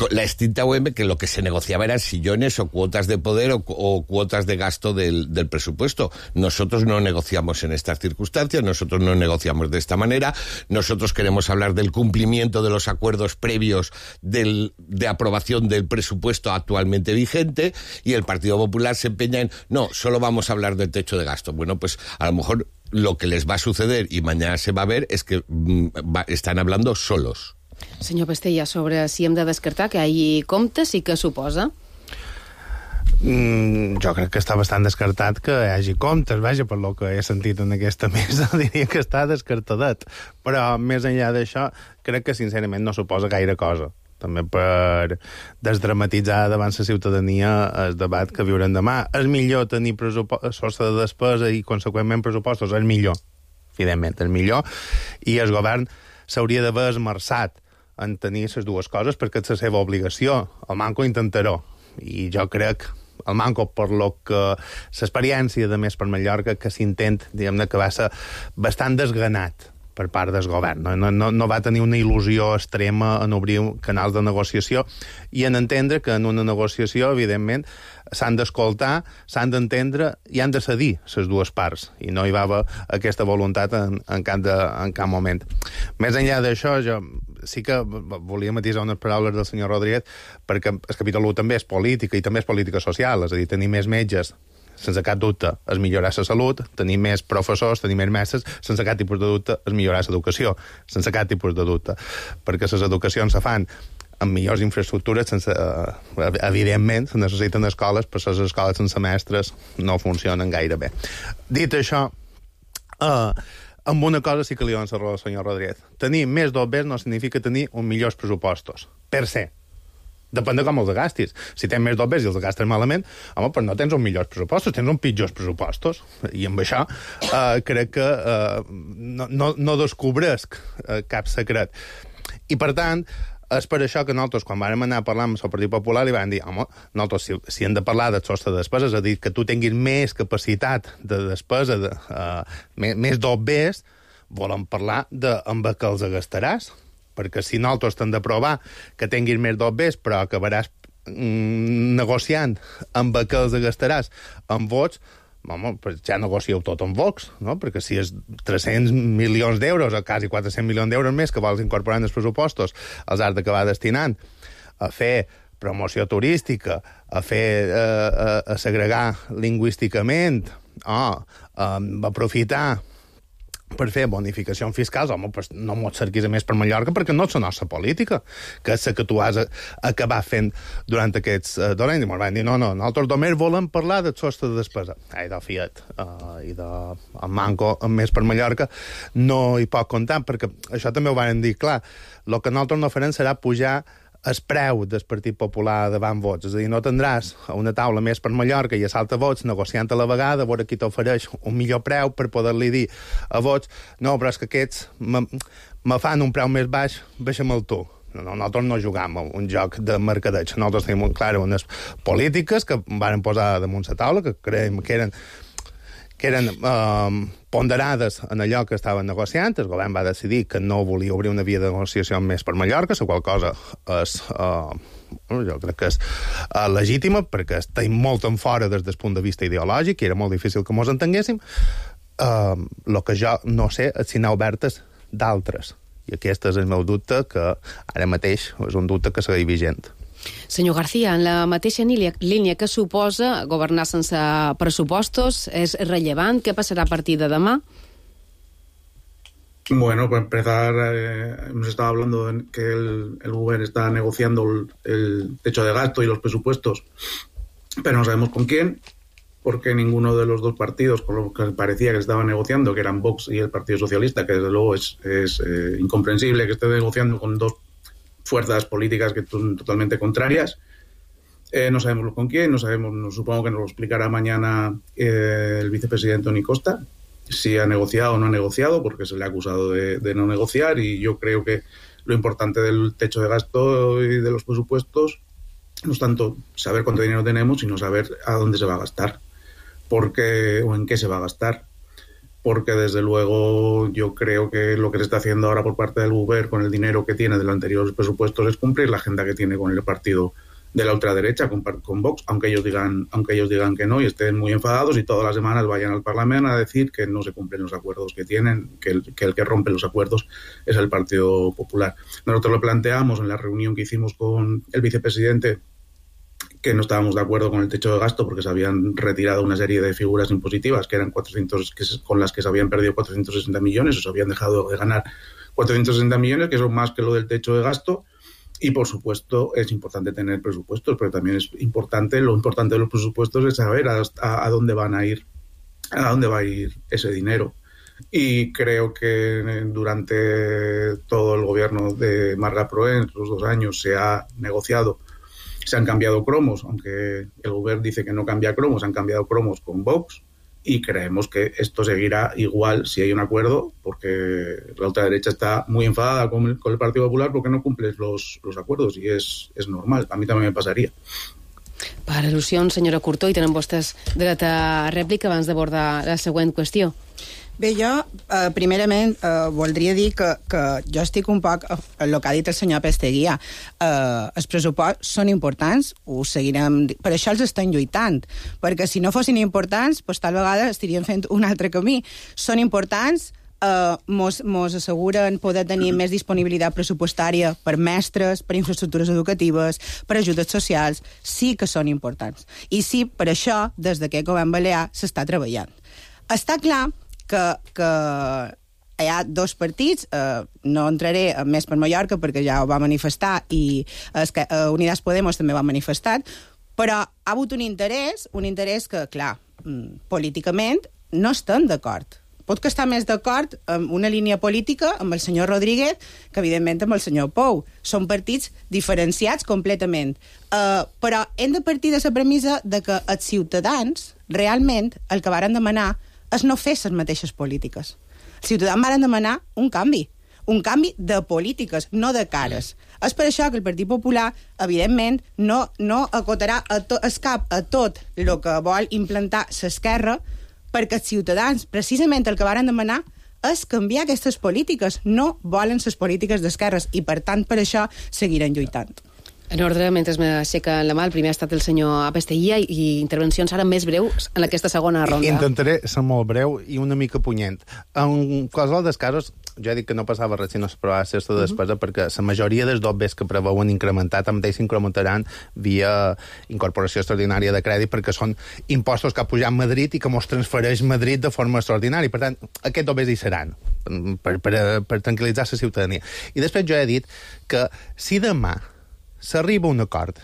La extinta U M, que lo que se negociaba eran sillones o cuotas de poder o, o cuotas de gasto del, del presupuesto. Nosotros no negociamos en estas circunstancias, nosotros no negociamos de esta manera, nosotros queremos hablar del cumplimiento de los acuerdos previos del, de aprobación del presupuesto actualmente vigente, y el Partido Popular se empeña en, no, solo vamos a hablar del techo de gasto. Bueno, pues a lo mejor lo que les va a suceder, y mañana se va a ver, es que mm, va, están hablando solos. Senyor Pestella, sobre si hem de descartar que hi hagi comptes i què suposa? Mm, jo crec que està bastant descartat que hi hagi comptes, vaja, per lo que he sentit en aquesta mesa, diria que està descartadet. Però, més enllà d'això, crec que, sincerament, no suposa gaire cosa. També per desdramatitzar davant la ciutadania el debat que viurem demà. És millor tenir pressupost de despesa i, conseqüentment, pressupostos. És millor, evidentment, és millor. I el govern s'hauria d'haver esmerçat en tenir les dues coses perquè és la seva obligació. El manco intentarà. I jo crec, el manco per lo que l'experiència de Més per Mallorca, que s'intent, diguem-ne, que va ser bastant desganat per part del govern. No, no, no va tenir una il·lusió extrema en obrir canals de negociació i en entendre que en una negociació, evidentment, s'han d'escoltar, s'han d'entendre i han de cedir les dues parts. I no hi va haver aquesta voluntat en, en, cap, de, en cap moment. Més enllà d'això, jo sí que volia matisar unes paraules del senyor Rodríguez, perquè el capítol u també és política i també és política social, és a dir, tenir més metges, sense cap dubte, és millorar la salut, tenir més professors, tenir més mestres, sense cap tipus de dubte, és millorar l'educació, sense cap tipus de dubte, perquè les educacions se fan amb millors infraestructures, sense, eh, evidentment, se necessiten escoles, però les escoles sense mestres no funcionen gaire bé. Dit això, eh, amb una cosa sí que li dono la raó al senyor Rodríguez. Tenir més dobbers no significa tenir uns millors pressupostos, per se. depèn de com els gastis. Si tens més dobbers i els gastes malament, home, però no tens uns millors pressupostos, tens uns pitjors pressupostos. I amb això eh, crec que eh, no, no, no descobresc eh, cap secret. I, per tant, és per això que nosaltres, quan vam anar a parlar amb el Partit Popular, li vam dir, home, nosaltres, si, si hem de parlar del sostre de despesa, és a dir, que tu tinguis més capacitat de despesa, de, uh, més, més dobbers, volem parlar de amb què els gastaràs. Perquè si nosaltres t'hem de provar que tinguis més dobbers, però acabaràs mm, negociant amb què els gastaràs amb vots, home, pues ja negocieu tot amb Vox, no? Perquè si és tres-cents milions d'euros o quasi quatre-cents milions d'euros més que vols incorporar en els pressupostos, els has d'acabar destinant a fer promoció turística, a fer eh, a, a segregar lingüísticament, o a aprofitar per fer bonificacions fiscals, home, pues no m'ho cerquis a més per Mallorca perquè no és la nostra política, que és la que tu has acabat fent durant aquests uh, dos anys. I ens van dir, no, no, nosaltres només volem parlar del sostre de despesa. Ai, del Fiat uh, i de el Manco, més per Mallorca, no hi pot comptar, perquè això també ho van dir, clar, el que nosaltres no farem serà pujar el preu del Partit Popular davant vots. És a dir, no tindràs una taula més per Mallorca i a salta vots negociant a la vegada, a veure qui t'ofereix un millor preu per poder-li dir a vots, no, però és que aquests me, me fan un preu més baix, baixa'm-el tu. No, nosaltres no jugam a un joc de mercadeig. Nosaltres tenim, clar, unes polítiques que van posar damunt la taula, que creiem que eren que eren eh, ponderades en allò que estaven negociant. El govern va decidir que no volia obrir una via de negociació més per Mallorca, la qual cosa és, eh, jo crec que és eh, legítima, perquè estem molt en fora des del punt de vista ideològic, i era molt difícil que mos entenguéssim. El eh, que jo no sé és si n'ha obertes d'altres. I aquest és el meu dubte, que ara mateix és un dubte que segueix vigent. Senyor García, en la mateixa línia que suposa governar sense pressupostos, ¿es rellevant? ¿Qué passarà a partir de demà? Bueno, para empezar, eh, hemos estado hablando de que el, el gobierno está negociando el, el techo de gasto y los presupuestos, pero no sabemos con quién, porque ninguno de los dos partidos con los que parecía que estaban negociando, que eran Vox y el Partido Socialista, que desde luego es, es eh, incomprensible que esté negociando con dos fuerzas políticas que son totalmente contrarias. Eh, no sabemos con quién, no sabemos, no, supongo que nos lo explicará mañana eh, el vicepresidente Toni Costa, si ha negociado o no ha negociado, porque se le ha acusado de, de no negociar, y yo creo que lo importante del techo de gasto y de los presupuestos no es tanto saber cuánto dinero tenemos, sino saber a dónde se va a gastar, porque, o en qué se va a gastar. Porque desde luego yo creo que lo que se está haciendo ahora por parte del Gobierno con el dinero que tiene de los anteriores presupuestos es cumplir la agenda que tiene con el partido de la ultraderecha, con, con Vox, aunque ellos digan aunque ellos digan que no y estén muy enfadados y todas las semanas vayan al Parlamento a decir que no se cumplen los acuerdos que tienen, que el que, el que rompe los acuerdos es el Partido Popular. Nosotros lo planteamos en la reunión que hicimos con el vicepresidente, que no estábamos de acuerdo con el techo de gasto porque se habían retirado una serie de figuras impositivas que eran cuatrocientos, que, con las que se habían perdido cuatrocientos sesenta millones, o se habían dejado de ganar cuatrocientos sesenta millones, que son más que lo del techo de gasto. Y, por supuesto, es importante tener presupuestos, pero también es importante, lo importante de los presupuestos es saber a, a, a dónde van a ir, a dónde va a ir ese dinero. Y creo que durante todo el gobierno de Marga Proens, los dos años, se ha negociado. Se han cambiado cromos, aunque el gobierno dice que no cambia cromos, han cambiado cromos con Vox, y creemos que esto seguirá igual si hay un acuerdo, porque la ultraderecha está muy enfadada con el, con el Partido Popular porque no cumple los, los acuerdos, y es, es normal. A mí también me pasaría. Per al·lusions, senyora Curtó, i tenen vostès dret a rèplica abans d'abordar la següent qüestió. Bé, jo, eh, primerament, eh, voldria dir que, que jo estic un poc el que ha dit el senyor Pesteguia. Eh, els pressupostos són importants, ho seguirem... Per això els estem lluitant, perquè si no fossin importants, doncs tal vegada estaríem fent un altre camí. Són importants, eh, mos, mos asseguren poder tenir més disponibilitat pressupostària per mestres, per infraestructures educatives, per ajudes socials. Sí que són importants. I sí, per això, des d'aquest govern balear s'està treballant. Està clar que, que hi ha dos partits, eh, no entraré en més per Mallorca perquè ja ho va manifestar i es que, eh, Unidas Podemos també ho ha manifestat, però ha hagut un interès, un interès que, clar, políticament no estem d'acord pot que està més d'acord amb una línia política amb el senyor Rodríguez que, evidentment, amb el senyor Pou. Són partits diferenciats completament. Uh, però hem de partir de la premissa de que els ciutadans, realment, el que varen demanar és no fer les mateixes polítiques. Els ciutadans varen demanar un canvi. Un canvi de polítiques, no de cares. És per això que el Partit Popular, evidentment, no, no acotarà a to, es cap a tot el que vol implantar l'esquerra, perquè els ciutadans, precisament el que varen demanar, és canviar aquestes polítiques. No volen les polítiques d'esquerres i, per tant, per això seguiran lluitant. En ordre, mentre m'aixeca la mà, el primer ha estat el senyor Apesteia i intervencions ara més breus en aquesta segona ronda. Intentaré ser molt breu i una mica punyent. En qualsevol dels casos, jo he dit que no passava res si no s'aprovava aquesta despesa, uh -huh. perquè la majoria dels dobbers que preveuen incrementar també s'incrementaran via incorporació extraordinària de crèdit, perquè són impostos que ha pujat Madrid i que mos transfereix Madrid de forma extraordinària. Per tant, aquests dobbers hi seran, per, per, per tranquil·litzar la ciutadania. I després jo he dit que si demà s'arriba a un acord,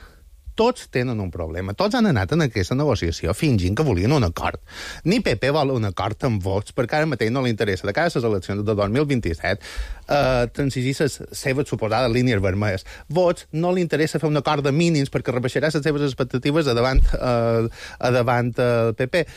tots tenen un problema. Tots han anat en aquesta negociació fingint que volien un acord. Ni P P vol un acord amb vots, perquè ara mateix no li interessa, de cara a les eleccions de dos mil vint-i-set, eh, transigir les seves suposades línies vermelles. Vots no li interessa fer un acord de mínims perquè rebaixarà les seves expectatives a davant, eh, a davant el P P.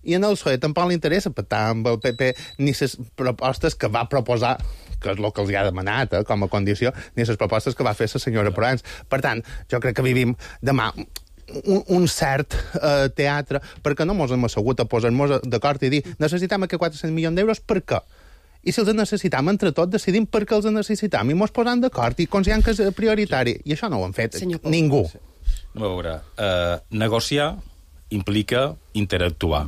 I en el P S O E tampoc li interessa pactar amb el P P ni les propostes que va proposar, que és el que els ha demanat eh, com a condició, ni les propostes que va fer la senyora Proans. Per tant, jo crec que vivim demà un, un cert eh, teatre, perquè no mos hem assegut a posar-nos d'acord i dir necessitem aquests quatre-cents milions d'euros, per què? I si els necessitam entre tots, decidim per què els necessitam i mos posam d'acord i considerem que és prioritari. I això no ho han fet ningú. No, a veure, uh, negociar implica interactuar,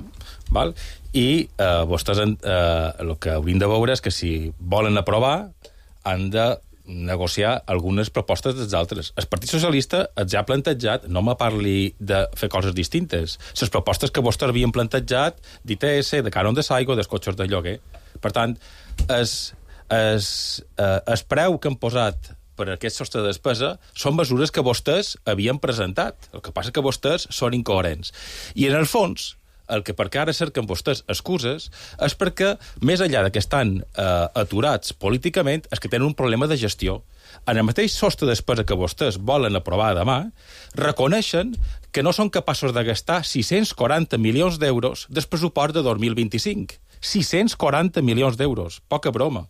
val? I eh, vostès eh, el que haurien de veure és que si volen aprovar han de negociar algunes propostes dels altres. El Partit Socialista els ha plantejat, no me parli de fer coses distintes, les propostes que vostès havien plantejat d'I T S, de cànon de Saigo, dels cotxes de lloguer. Per tant, es, es, eh, el preu que han posat per aquest sostre de despesa són mesures que vostès havien presentat. El que passa és que vostès són incoherents. I en el fons, el que perquè ara cerquen vostès excuses és perquè, més enllà de que estan eh, aturats políticament, és que tenen un problema de gestió. En el mateix sostre de despesa que vostès volen aprovar demà, reconeixen que no són capaços de gastar sis-cents quaranta milions d'euros del pressupost de dos mil vint-i-cinc. sis-cents quaranta milions d'euros. Poca broma.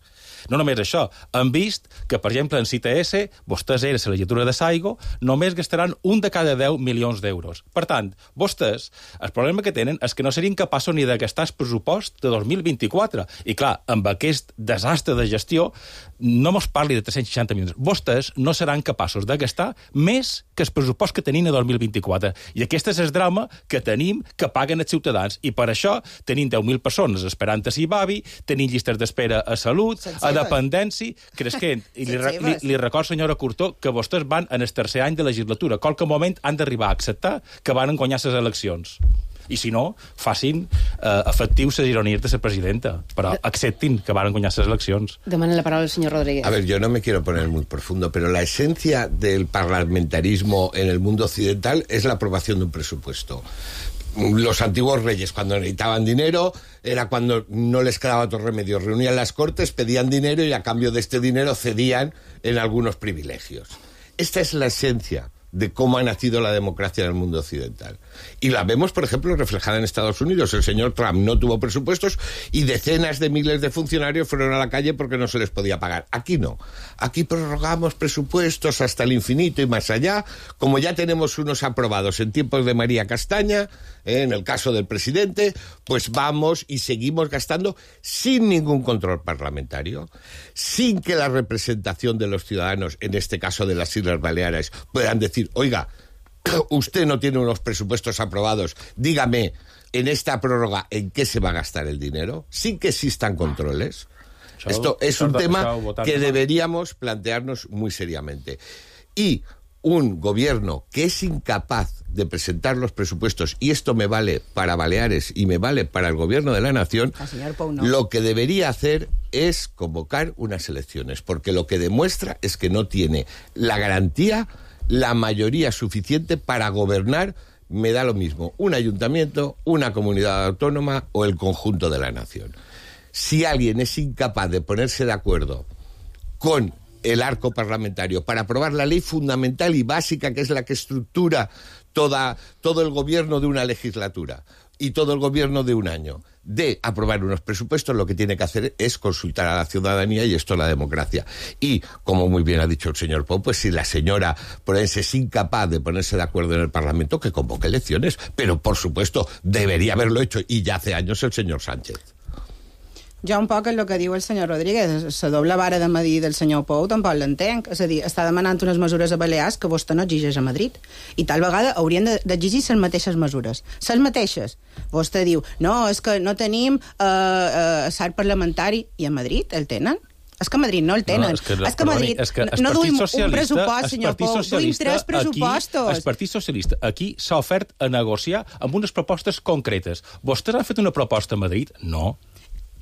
No només això, han vist que, per exemple, en C T S, vostès era la legislatura de Saigo, només gastaran un de cada deu milions d'euros. Per tant, vostès, el problema que tenen és que no serien capaços ni de gastar el pressupost de dos mil vint-i-quatre. I clar, amb aquest desastre de gestió, no mos parli de tres-cents seixanta milions. Vostès no seran capaços de gastar més que el pressupost que tenien a dos mil vint-i-quatre. I aquest és el drama que tenim, que paguen els ciutadans. I per això tenim deu mil persones esperant a Sibavi, tenim llistes d'espera a salut, a dependència, creixent. I li, li, li record, senyora Curtó, que vostès van en el tercer any de legislatura. Qualque moment han d'arribar a acceptar que van guanyar les eleccions. I si no, facin eh, efectius les ironies de la presidenta, però acceptin que van guanyar les eleccions. Demana la palabra el señor Rodríguez. A ver, yo no me quiero poner muy profundo, pero la esencia del parlamentarismo en el mundo occidental es la aprobación de un presupuesto. Los antiguos reyes, cuando necesitaban dinero, era cuando no les quedaba otro remedio. Reunían las cortes, pedían dinero y a cambio de este dinero cedían en algunos privilegios. Esta es la esencia de cómo ha nacido la democracia en el mundo occidental. Y la vemos, por ejemplo, reflejada en Estados Unidos. El señor Trump no tuvo presupuestos y decenas de miles de funcionarios fueron a la calle porque no se les podía pagar. Aquí no. Aquí prorrogamos presupuestos hasta el infinito y más allá, como ya tenemos unos aprobados en tiempos de María Castaña, eh, en el caso del presidente, pues vamos y seguimos gastando sin ningún control parlamentario, sin que la representación de los ciudadanos, en este caso de las Islas Baleares, puedan decir, oiga, usted no tiene unos presupuestos aprobados, dígame en esta prórroga en qué se va a gastar el dinero, sin que existan controles. Chau, Esto es un tema chau, que deberíamos plantearnos muy seriamente. Y un gobierno que es incapaz de presentar los presupuestos, y esto me vale para Baleares y me vale para el gobierno de la nación, no. Lo que debería hacer es convocar unas elecciones, porque lo que demuestra es que no tiene la garantía, la mayoría suficiente para gobernar, me da lo mismo, un ayuntamiento, una comunidad autónoma o el conjunto de la nación. si alguien es incapaz de ponerse de acuerdo con el arco parlamentario para aprobar la ley fundamental y básica, que es la que estructura toda, todo el gobierno de una legislatura y todo el gobierno de un año, de aprobar unos presupuestos, lo que tiene que hacer es consultar a la ciudadanía, y esto es la democracia. Y, como muy bien ha dicho el señor Pou, pues si la señora Proença es incapaz de ponerse de acuerdo en el Parlamento, que convoque elecciones. Pero, por supuesto, debería haberlo hecho, y ya hace años, el señor Sánchez. Jo un poc el que diu el senyor Rodríguez, la doble vara de medir del senyor Pou tampoc l'entenc, és a dir, està demanant unes mesures a Balears que vostè no exigeix a Madrid, i tal vegada haurien d'exigir les mateixes mesures, les mateixes. Vostè diu, no, és que no tenim eh, eh, salt parlamentari, i a Madrid el tenen? És que a Madrid no el tenen. No, és que, és que a Madrid és que no duim un pressupost, senyor Pou, duim tres pressupostos. Aquí, el Partit Socialista aquí s'ha ofert a negociar amb unes propostes concretes. Vostès han fet una proposta a Madrid? No.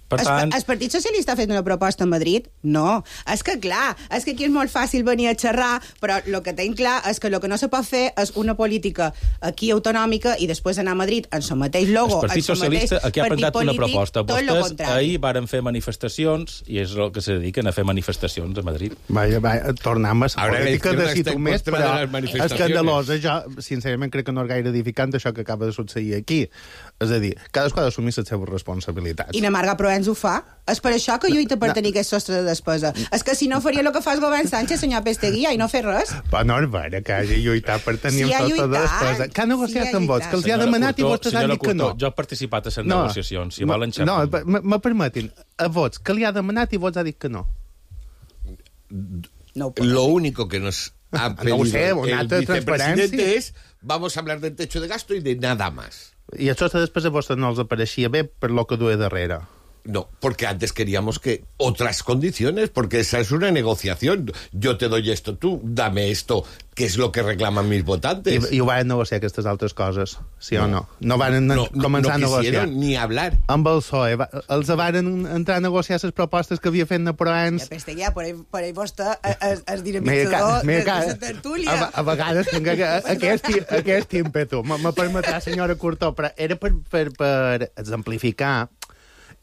Per tant... El Partit Socialista ha fet una proposta a Madrid? No. És que, clar, és que aquí és molt fàcil venir a xerrar, però el que tenim clar és que el que no se pot fer és una política aquí autonòmica i després anar a Madrid en el mateix logo, el Partit Socialista aquí ha presentat una proposta. Vostès ahir varen fer manifestacions i és el que se dediquen a fer manifestacions a Madrid. Vaja, vaja, tornem a la política de si tu més, però escandalosa. Jo, sincerament, crec que no és gaire edificant això que acaba de succeir aquí. És a dir, cadascú ha d'assumir les seves responsabilitats. I na Marga Proens ho fa. És per això que lluita per tenir aquest sostre de despesa. És que si no faria el que fa el govern Sánchez, senyor Pesteguía, i no fer res. Però no és vera que hagi lluitat per tenir un sostre de despesa. Que ha negociat amb vots, que els ha demanat i vostès han dit que no. Jo he participat a les negociacions, si volen xerrar. No, me permetin, a vots, que li ha demanat i vots ha dit que no. Lo único que nos ha pedido el vicepresidente es vamos a hablar del techo de gasto y de nada más. I això després a vostès no els apareixia bé per lo que duia darrere. No, porque antes queríamos que otras condiciones, porque esa es una negociación. Yo te doy esto, tú dame esto, que es lo que reclaman mis votantes. I, i ho van negociar aquestes altres coses, sí no. o no? No van no, començar no a negociar. ni hablar. Amb el P S O E, els van entrar a negociar les propostes que havia fet Proens. Ja, Pesteguía, per ell, per ell vostè és, és dinamitzador de la tertúlia. A, a vegades tinc aquest, aquest ímpetu. Me permetrà, senyora Curtó, però era per, per, per exemplificar.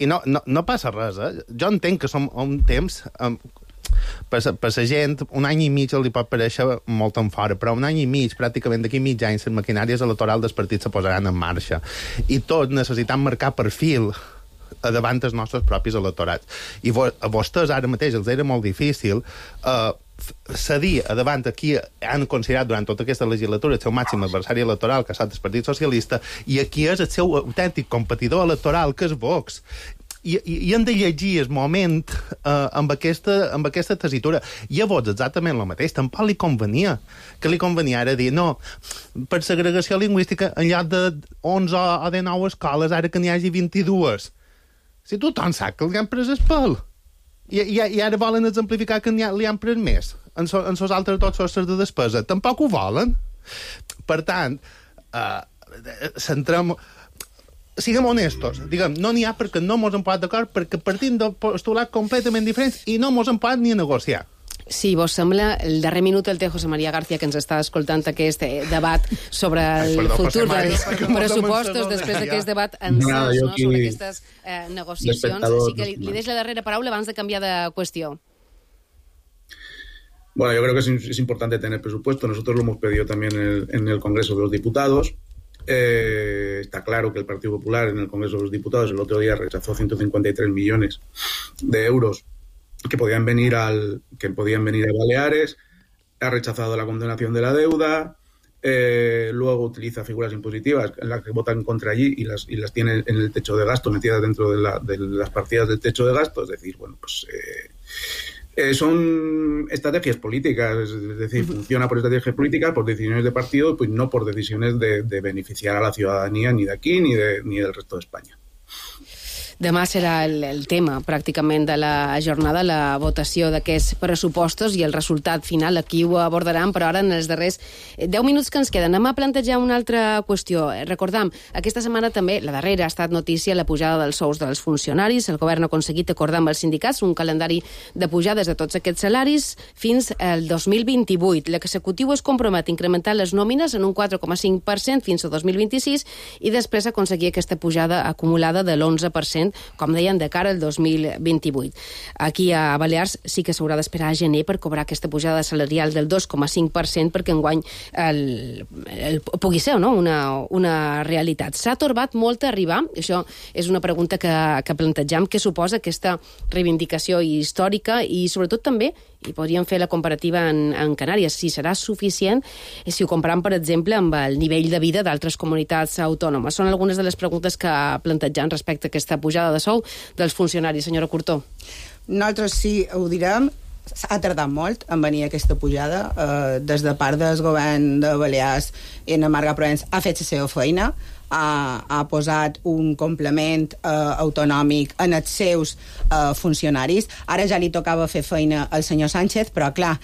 I no, no, no passa res, eh? Jo entenc que som un temps... Um, per, per la gent, un any i mig li pot parèixer molt en fora, però un any i mig, pràcticament d'aquí mig any, les maquinàries electorals dels partits se posaran en marxa. I tots necessitem marcar perfil davant dels nostres propis electorats. I a vostès ara mateix els era molt difícil eh, cedir a davant aquí han considerat durant tota aquesta legislatura el seu màxim adversari electoral, que ha estat el Partit Socialista, i aquí és el seu autèntic competidor electoral, que és Vox. I, i, i hem de llegir el moment eh, amb, aquesta, amb aquesta tessitura. I a Vox exactament el mateix. Tampoc li convenia. Que li convenia ara dir, no, per segregació lingüística, en lloc de onze o de nou escoles, ara que n'hi hagi vint-i-dues. Si tothom sap que li han pres el pèl. I, i, i ara volen exemplificar que ha, li han pres més en, so, en sos altres dos sostres de despesa. Tampoc ho volen. Per tant, eh, centrem... Siguem honestos. Diguem, no n'hi ha perquè no mos hem posat d'acord, perquè partim de postulats completament diferents i no mos hem posat ni a negociar. Si vos sembla, el darrer minut el té José María García, que ens està escoltant aquest debat sobre el Ai, perdó, futur dels pressupostos després d'aquest debat encès, no, no, sobre aquestes eh, negociacions. Així que li, li deix la darrera paraula abans de canviar de qüestió. Bueno, yo creo que es, es importante tener presupuesto. Nosotros lo hemos pedido también en el, en el Congreso de los Diputados. Eh, está claro que el Partido Popular en el Congreso de los Diputados el otro día rechazó ciento cincuenta y tres millones de euros que podían venir al que podían venir a Baleares, ha rechazado la condonación de la deuda, eh, luego utiliza figuras impositivas en las que votan contra allí y las y las tiene en el techo de gasto, metidas dentro de, la, de las partidas del techo de gasto. Es decir, bueno, pues eh, eh, son estrategias políticas, es decir, funciona por estrategias políticas, por decisiones de partido, pues no por decisiones de, de beneficiar a la ciudadanía ni de aquí ni de ni del resto de España. Demà serà el, el tema, pràcticament, de la jornada, la votació d'aquests pressupostos i el resultat final. Aquí ho abordaran, però ara, en els darrers deu minuts que ens queden, anem a plantejar una altra qüestió. Recordam, aquesta setmana també, la darrera, ha estat notícia la pujada dels sous dels funcionaris. El govern ha aconseguit acordar amb els sindicats un calendari de pujades de tots aquests salaris fins al dos mil vint-i-vuit. L'executiu es compromet a incrementar les nòmines en un quatre coma cinc per cent fins al dos mil vint-i-sis i després aconseguir aquesta pujada acumulada de l'onze per cent cent, com deien, de cara al dos mil vint-i-vuit. Aquí a Balears sí que s'haurà d'esperar a gener per cobrar aquesta pujada salarial del dos coma cinc per cent perquè enguany el, el, pugui ser, no?, una, una realitat. S'ha torbat molt a arribar, això és una pregunta que, que plantejam, què suposa aquesta reivindicació històrica i sobretot també, i podríem fer la comparativa en, en Canàries, si serà suficient si ho comparem, per exemple, amb el nivell de vida d'altres comunitats autònomes. Són algunes de les preguntes que plantejam respecte a aquesta pujada de sou dels funcionaris. Senyora Curtó. Nosaltres sí ho direm, ha tardat molt en venir aquesta pujada. Eh, des de part del govern de Balears, en Marga Provenç ha fet la seva feina, ha, ha posat un complement eh, autonòmic en els seus eh, funcionaris. Ara ja li tocava fer feina al senyor Sánchez, però clar,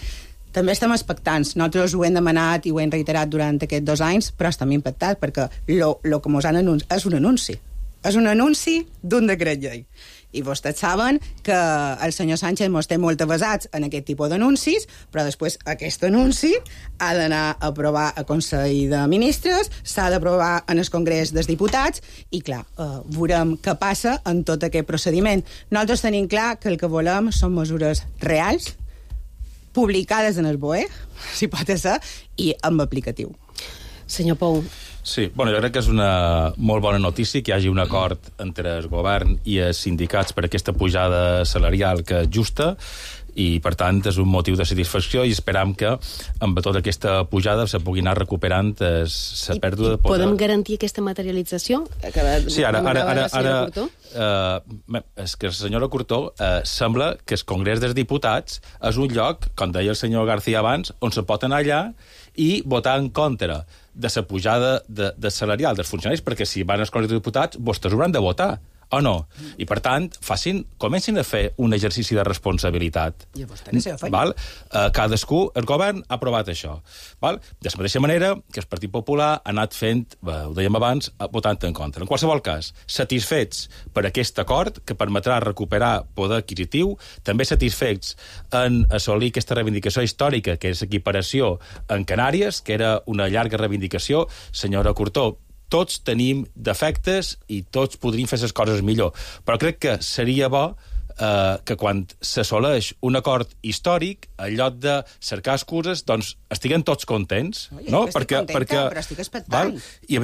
també estem expectants. Nosaltres ho hem demanat i ho hem reiterat durant aquests dos anys, però estem impactats perquè lo, lo que ens han anunciat és un anunci. És un anunci d'un decret llei. I vostès saben que el senyor Sánchez ens té molt avasats en aquest tipus d'anuncis, però després aquest anunci ha d'anar a aprovar al Consell de Ministres, s'ha d'aprovar en el Congrés dels Diputats, i clar, eh, veurem què passa en tot aquest procediment. Nosaltres tenim clar que el que volem són mesures reals, publicades en el B O E, si pot ser, i amb aplicatiu. Senyor Pou. Sí, bueno, jo crec que és una molt bona notícia que hi hagi un acord entre el govern i els sindicats per aquesta pujada salarial que és justa, i per tant és un motiu de satisfacció i esperam que amb tota aquesta pujada se pugui anar recuperant la pèrdua de poder. Podem garantir aquesta materialització? Sí, ara, ara, ara, ara uh, és que la senyora Curtó uh, sembla que el Congrés dels Diputats és un lloc, com deia el senyor García abans, on se pot anar allà i votar en contra de la pujada de, de salarial dels funcionaris, perquè si van als Congrés dels Diputats, vostès hauran de votar, o no? I, per tant, facin, comencin a fer un exercici de responsabilitat. I vostè no s'ha fet. Val? Uh, cadascú, el govern ha aprovat això. Val? De la mateixa manera que el Partit Popular ha anat fent, bé, ho dèiem abans, votant en contra. En qualsevol cas, satisfets per aquest acord, que permetrà recuperar poder adquisitiu, també satisfets en assolir aquesta reivindicació històrica, que és equiparació en Canàries, que era una llarga reivindicació. Senyora Curtó, tots tenim defectes i tots podríem fer les coses millor. Però crec que seria bo eh, que quan s'assoleix un acord històric, en lloc de cercar excuses, doncs estiguem tots contents. Oye, no? estic perquè, contenta, perquè, però estic expectant. I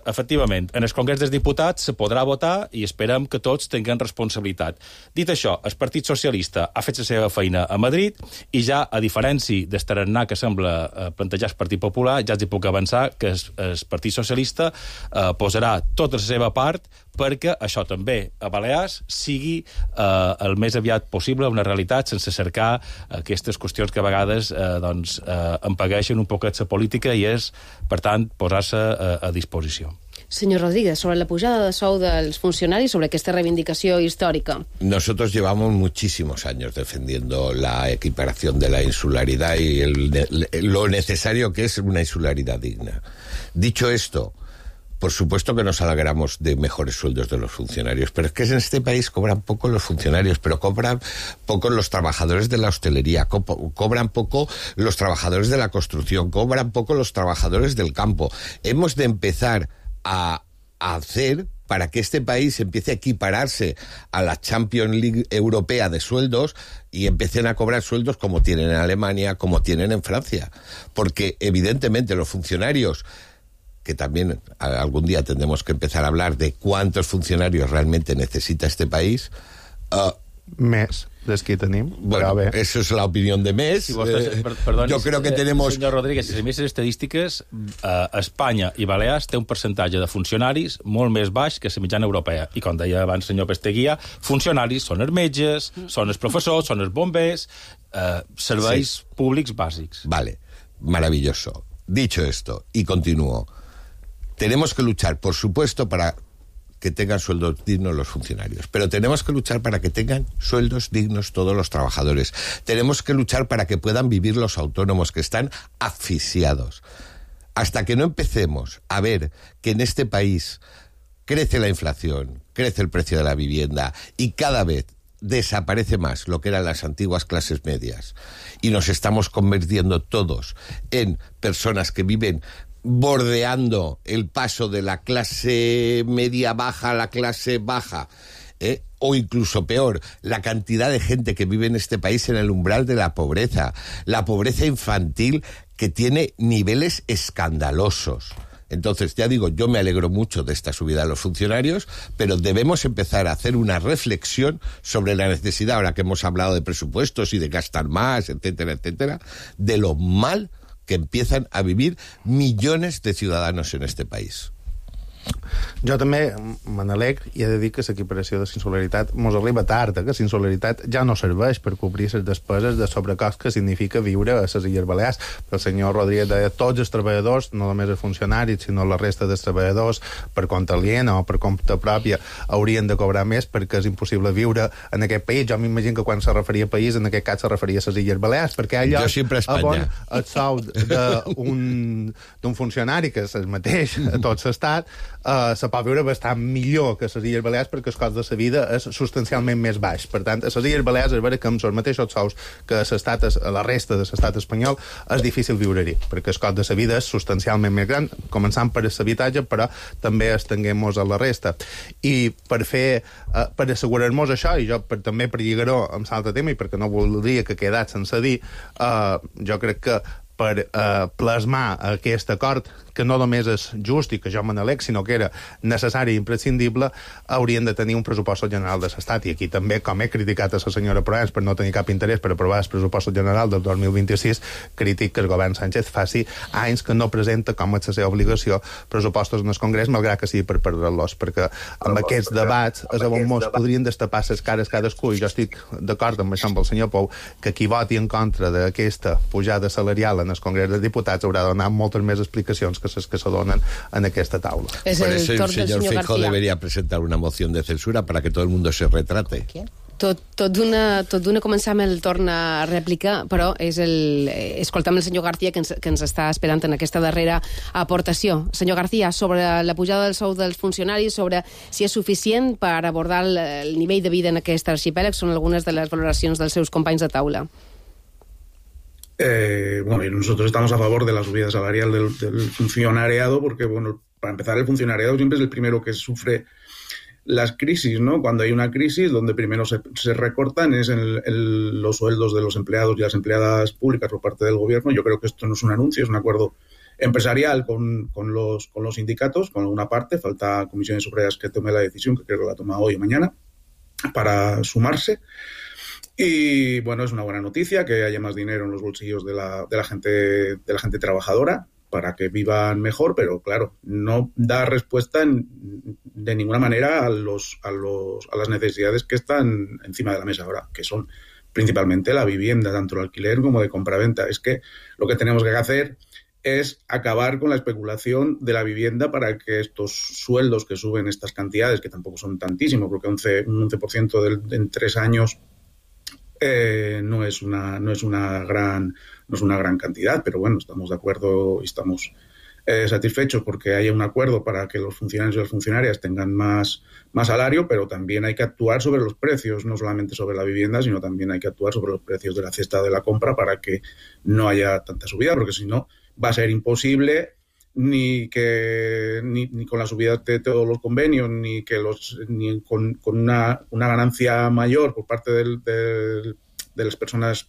efectivament, en el Congrés dels Diputats se podrà votar i esperem que tots tinguem responsabilitat. Dit això, el Partit Socialista ha fet la seva feina a Madrid i ja, a diferència del tarannà que sembla eh, plantejar el Partit Popular, ja els hi puc avançar que el, el Partit Socialista eh, posarà tota la seva part perquè això també a Balears sigui eh, el més aviat possible una realitat sense cercar aquestes qüestions que a vegades eh, doncs, eh, empagueixen un poquet la política i és, per tant, posar-se a, a disposició. Señor Rodríguez, sobre la pujada de sou dels funcionaris, sobre aquesta reivindicació històrica. Nosotros llevamos muchísimos años defendiendo la equiparación de la insularidad y el, lo necesario que es una insularidad digna. Dicho esto, por supuesto que nos alegramos de mejores sueldos de los funcionarios, pero es que en este país cobran poco los funcionarios, pero cobran poco los trabajadores de la hostelería, co cobran poco los trabajadores de la construcción, cobran poco los trabajadores del campo. Hemos de empezar a, a hacer para que este país empiece a equipararse a la Champions League europea de sueldos y empiecen a cobrar sueldos como tienen en Alemania, como tienen en Francia. Porque evidentemente los funcionarios, que también algún día tendremos que empezar a hablar de cuántos funcionarios realmente necesita este país. Uh, Més dels que tenim. Bueno, bé. Eso es la opinión de Més. Si vostès, per, perdoni, Yo creo que tenemos... Senyor Rodríguez, si més estadístiques, eh, Espanya i Balears té un percentatge de funcionaris molt més baix que la mitjana europea. I com deia abans senyor Pesteguia, funcionaris són els metges, són els professors, són els bombers, eh, serveis sí. públics bàsics. Vale, maravilloso. Dicho esto, y continúo, tenemos que luchar, por supuesto, para que tengan sueldos dignos los funcionarios, pero tenemos que luchar para que tengan sueldos dignos todos los trabajadores. Tenemos que luchar para que puedan vivir los autónomos que están asfixiados. Hasta que no empecemos a ver que en este país crece la inflación, crece el precio de la vivienda y cada vez desaparece más lo que eran las antiguas clases medias y nos estamos convirtiendo todos en personas que viven bordeando el paso de la clase media baja a la clase baja, ¿eh? O incluso peor, la cantidad de gente que vive en este país en el umbral de la pobreza, la pobreza infantil que tiene niveles escandalosos. Entonces, ya digo, yo me alegro mucho de esta subida de los funcionarios, pero debemos empezar a hacer una reflexión sobre la necesidad, ahora que hemos hablado de presupuestos y de gastar más, etcétera, etcétera, de lo mal que empiezan a vivir millones de ciudadanos en este país. Jo també me n'alegro i he de dir que l'equiparació de insolidaritat mos arriba tard, eh? Que la insolidaritat ja no serveix per cobrir les despeses de sobrecost que significa viure a les Illes Balears. Però el senyor Rodríguez deia tots els treballadors, no només els funcionaris, sinó la resta dels treballadors, per compte aliena o per compte pròpia, haurien de cobrar més perquè és impossible viure en aquest país. Jo m'imagino que quan se referia a país, en aquest cas se referia a les Illes Balears, perquè allò on el sou d'un funcionari, que és el mateix a tot l'estat, Uh, se pot viure bastant millor que a les Illes Balears perquè el cost de la vida és substancialment més baix. Per tant, a les Illes Balears és vera que amb els mateixos sous que a, a la resta de l'estat espanyol és difícil viure-hi, perquè el cost de la vida és substancialment més gran, començant per l'habitatge, però també estenguem-nos a la resta. I per fer, uh, per assegurar-nos això, i jo per, també per lligar-ho amb l'altre tema, i perquè no voldria que quedat sense dir, uh, jo crec que per eh, plasmar aquest acord, que no només és just i que jo me n'aleg, sinó que era necessari i imprescindible, haurien de tenir un pressupost general de l'Estat. I aquí també, com he criticat a la senyora Proens per no tenir cap interès per aprovar el pressupost general del dos mil vint-i-sis, crític que el govern Sánchez faci anys que no presenta, com és la seva obligació, pressupostos en el Congrés, malgrat que sigui per perdre-los, perquè amb aquests debats és on mos podrien destapar les cares cadascú, i jo estic d'acord amb això amb el senyor Pou, que qui voti en contra d'aquesta pujada salarial en el Congrés dels Diputats haurà de donar moltes més explicacions que les que se donen en aquesta taula. Es Por eso el, el señor Feijóo debería presentar una moción de censura para que todo el mundo se retrate. Tot, tot d'una tot d'una començar amb el torn a rèplica, però és el, escoltam el senyor García que ens, que ens està esperant en aquesta darrera aportació. Senyor García, sobre la pujada del sou dels funcionaris, sobre si és suficient per abordar el, el nivell de vida en aquest arxipèlag, són algunes de les valoracions dels seus companys de taula. Eh, bueno, y nosotros estamos a favor de la subida salarial del, del funcionariado porque, bueno, para empezar, el funcionariado siempre es el primero que sufre las crisis, ¿no? Cuando hay una crisis, donde primero se, se recortan es en el, el, los sueldos de los empleados y las empleadas públicas por parte del gobierno. Yo creo que esto no es un anuncio, es un acuerdo empresarial con, con, los, con los sindicatos, con alguna parte. Falta comisiones obreras que tome la decisión, que creo que la toma hoy o mañana, para sumarse. Y bueno, es una buena noticia que haya más dinero en los bolsillos de la, de la gente, de la gente trabajadora para que vivan mejor, pero claro, no da respuesta en, de ninguna manera a los, a los, a las necesidades que están encima de la mesa ahora, que son principalmente la vivienda, tanto el alquiler como de compraventa. Es que lo que tenemos que hacer es acabar con la especulación de la vivienda para que estos sueldos que suben estas cantidades, que tampoco son tantísimos, porque once, un once por ciento del, en tres años Eh, no es una no es una gran no es una gran cantidad, pero bueno, estamos de acuerdo y estamos eh, satisfechos porque haya un acuerdo para que los funcionarios y las funcionarias tengan más, más salario, pero también hay que actuar sobre los precios, no solamente sobre la vivienda, sino también hay que actuar sobre los precios de la cesta de la compra para que no haya tanta subida, porque si no va a ser imposible ni que ni, ni con la subida de todos los convenios, ni que los ni con, con una, una ganancia mayor por parte del, del, de las personas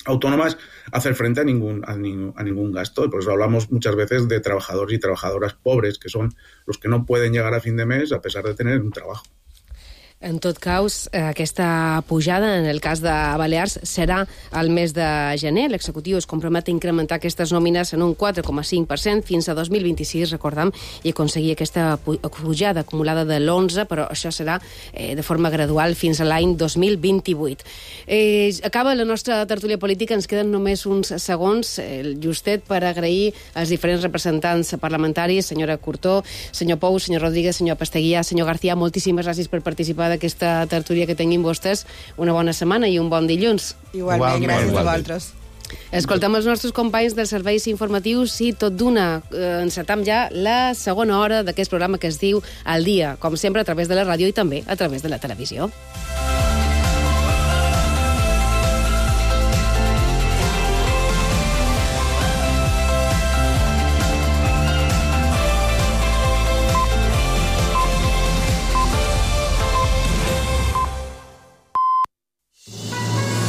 autónomas hacer frente a ningún, a ningún a ningún gasto. Y por eso hablamos muchas veces de trabajadores y trabajadoras pobres, que son los que no pueden llegar a fin de mes a pesar de tener un trabajo. En tot cas, aquesta pujada, en el cas de Balears, serà al mes de gener. L'executiu es compromet a incrementar aquestes nòmines en un quatre coma cinc per cent fins a dos mil vint-i-sis, recordem, i aconseguir aquesta pujada acumulada de l'onze, però això serà eh, de forma gradual fins a l'any dos mil vint-i-vuit. Eh, acaba la nostra tertúlia política, ens queden només uns segons, el justet, per agrair als diferents representants parlamentaris, senyora Curtó, senyor Pou, senyor Rodríguez, senyor Pasteguía, senyor García, moltíssimes gràcies per participar d'aquesta tertúlia que tinguin vostès. Una bona setmana i un bon dilluns. Igualment, gràcies a vosaltres. Escoltem els nostres companys dels serveis informatius i tot d'una eh, encetam ja la segona hora d'aquest programa que es diu Al Dia, com sempre a través de la ràdio i també a través de la televisió.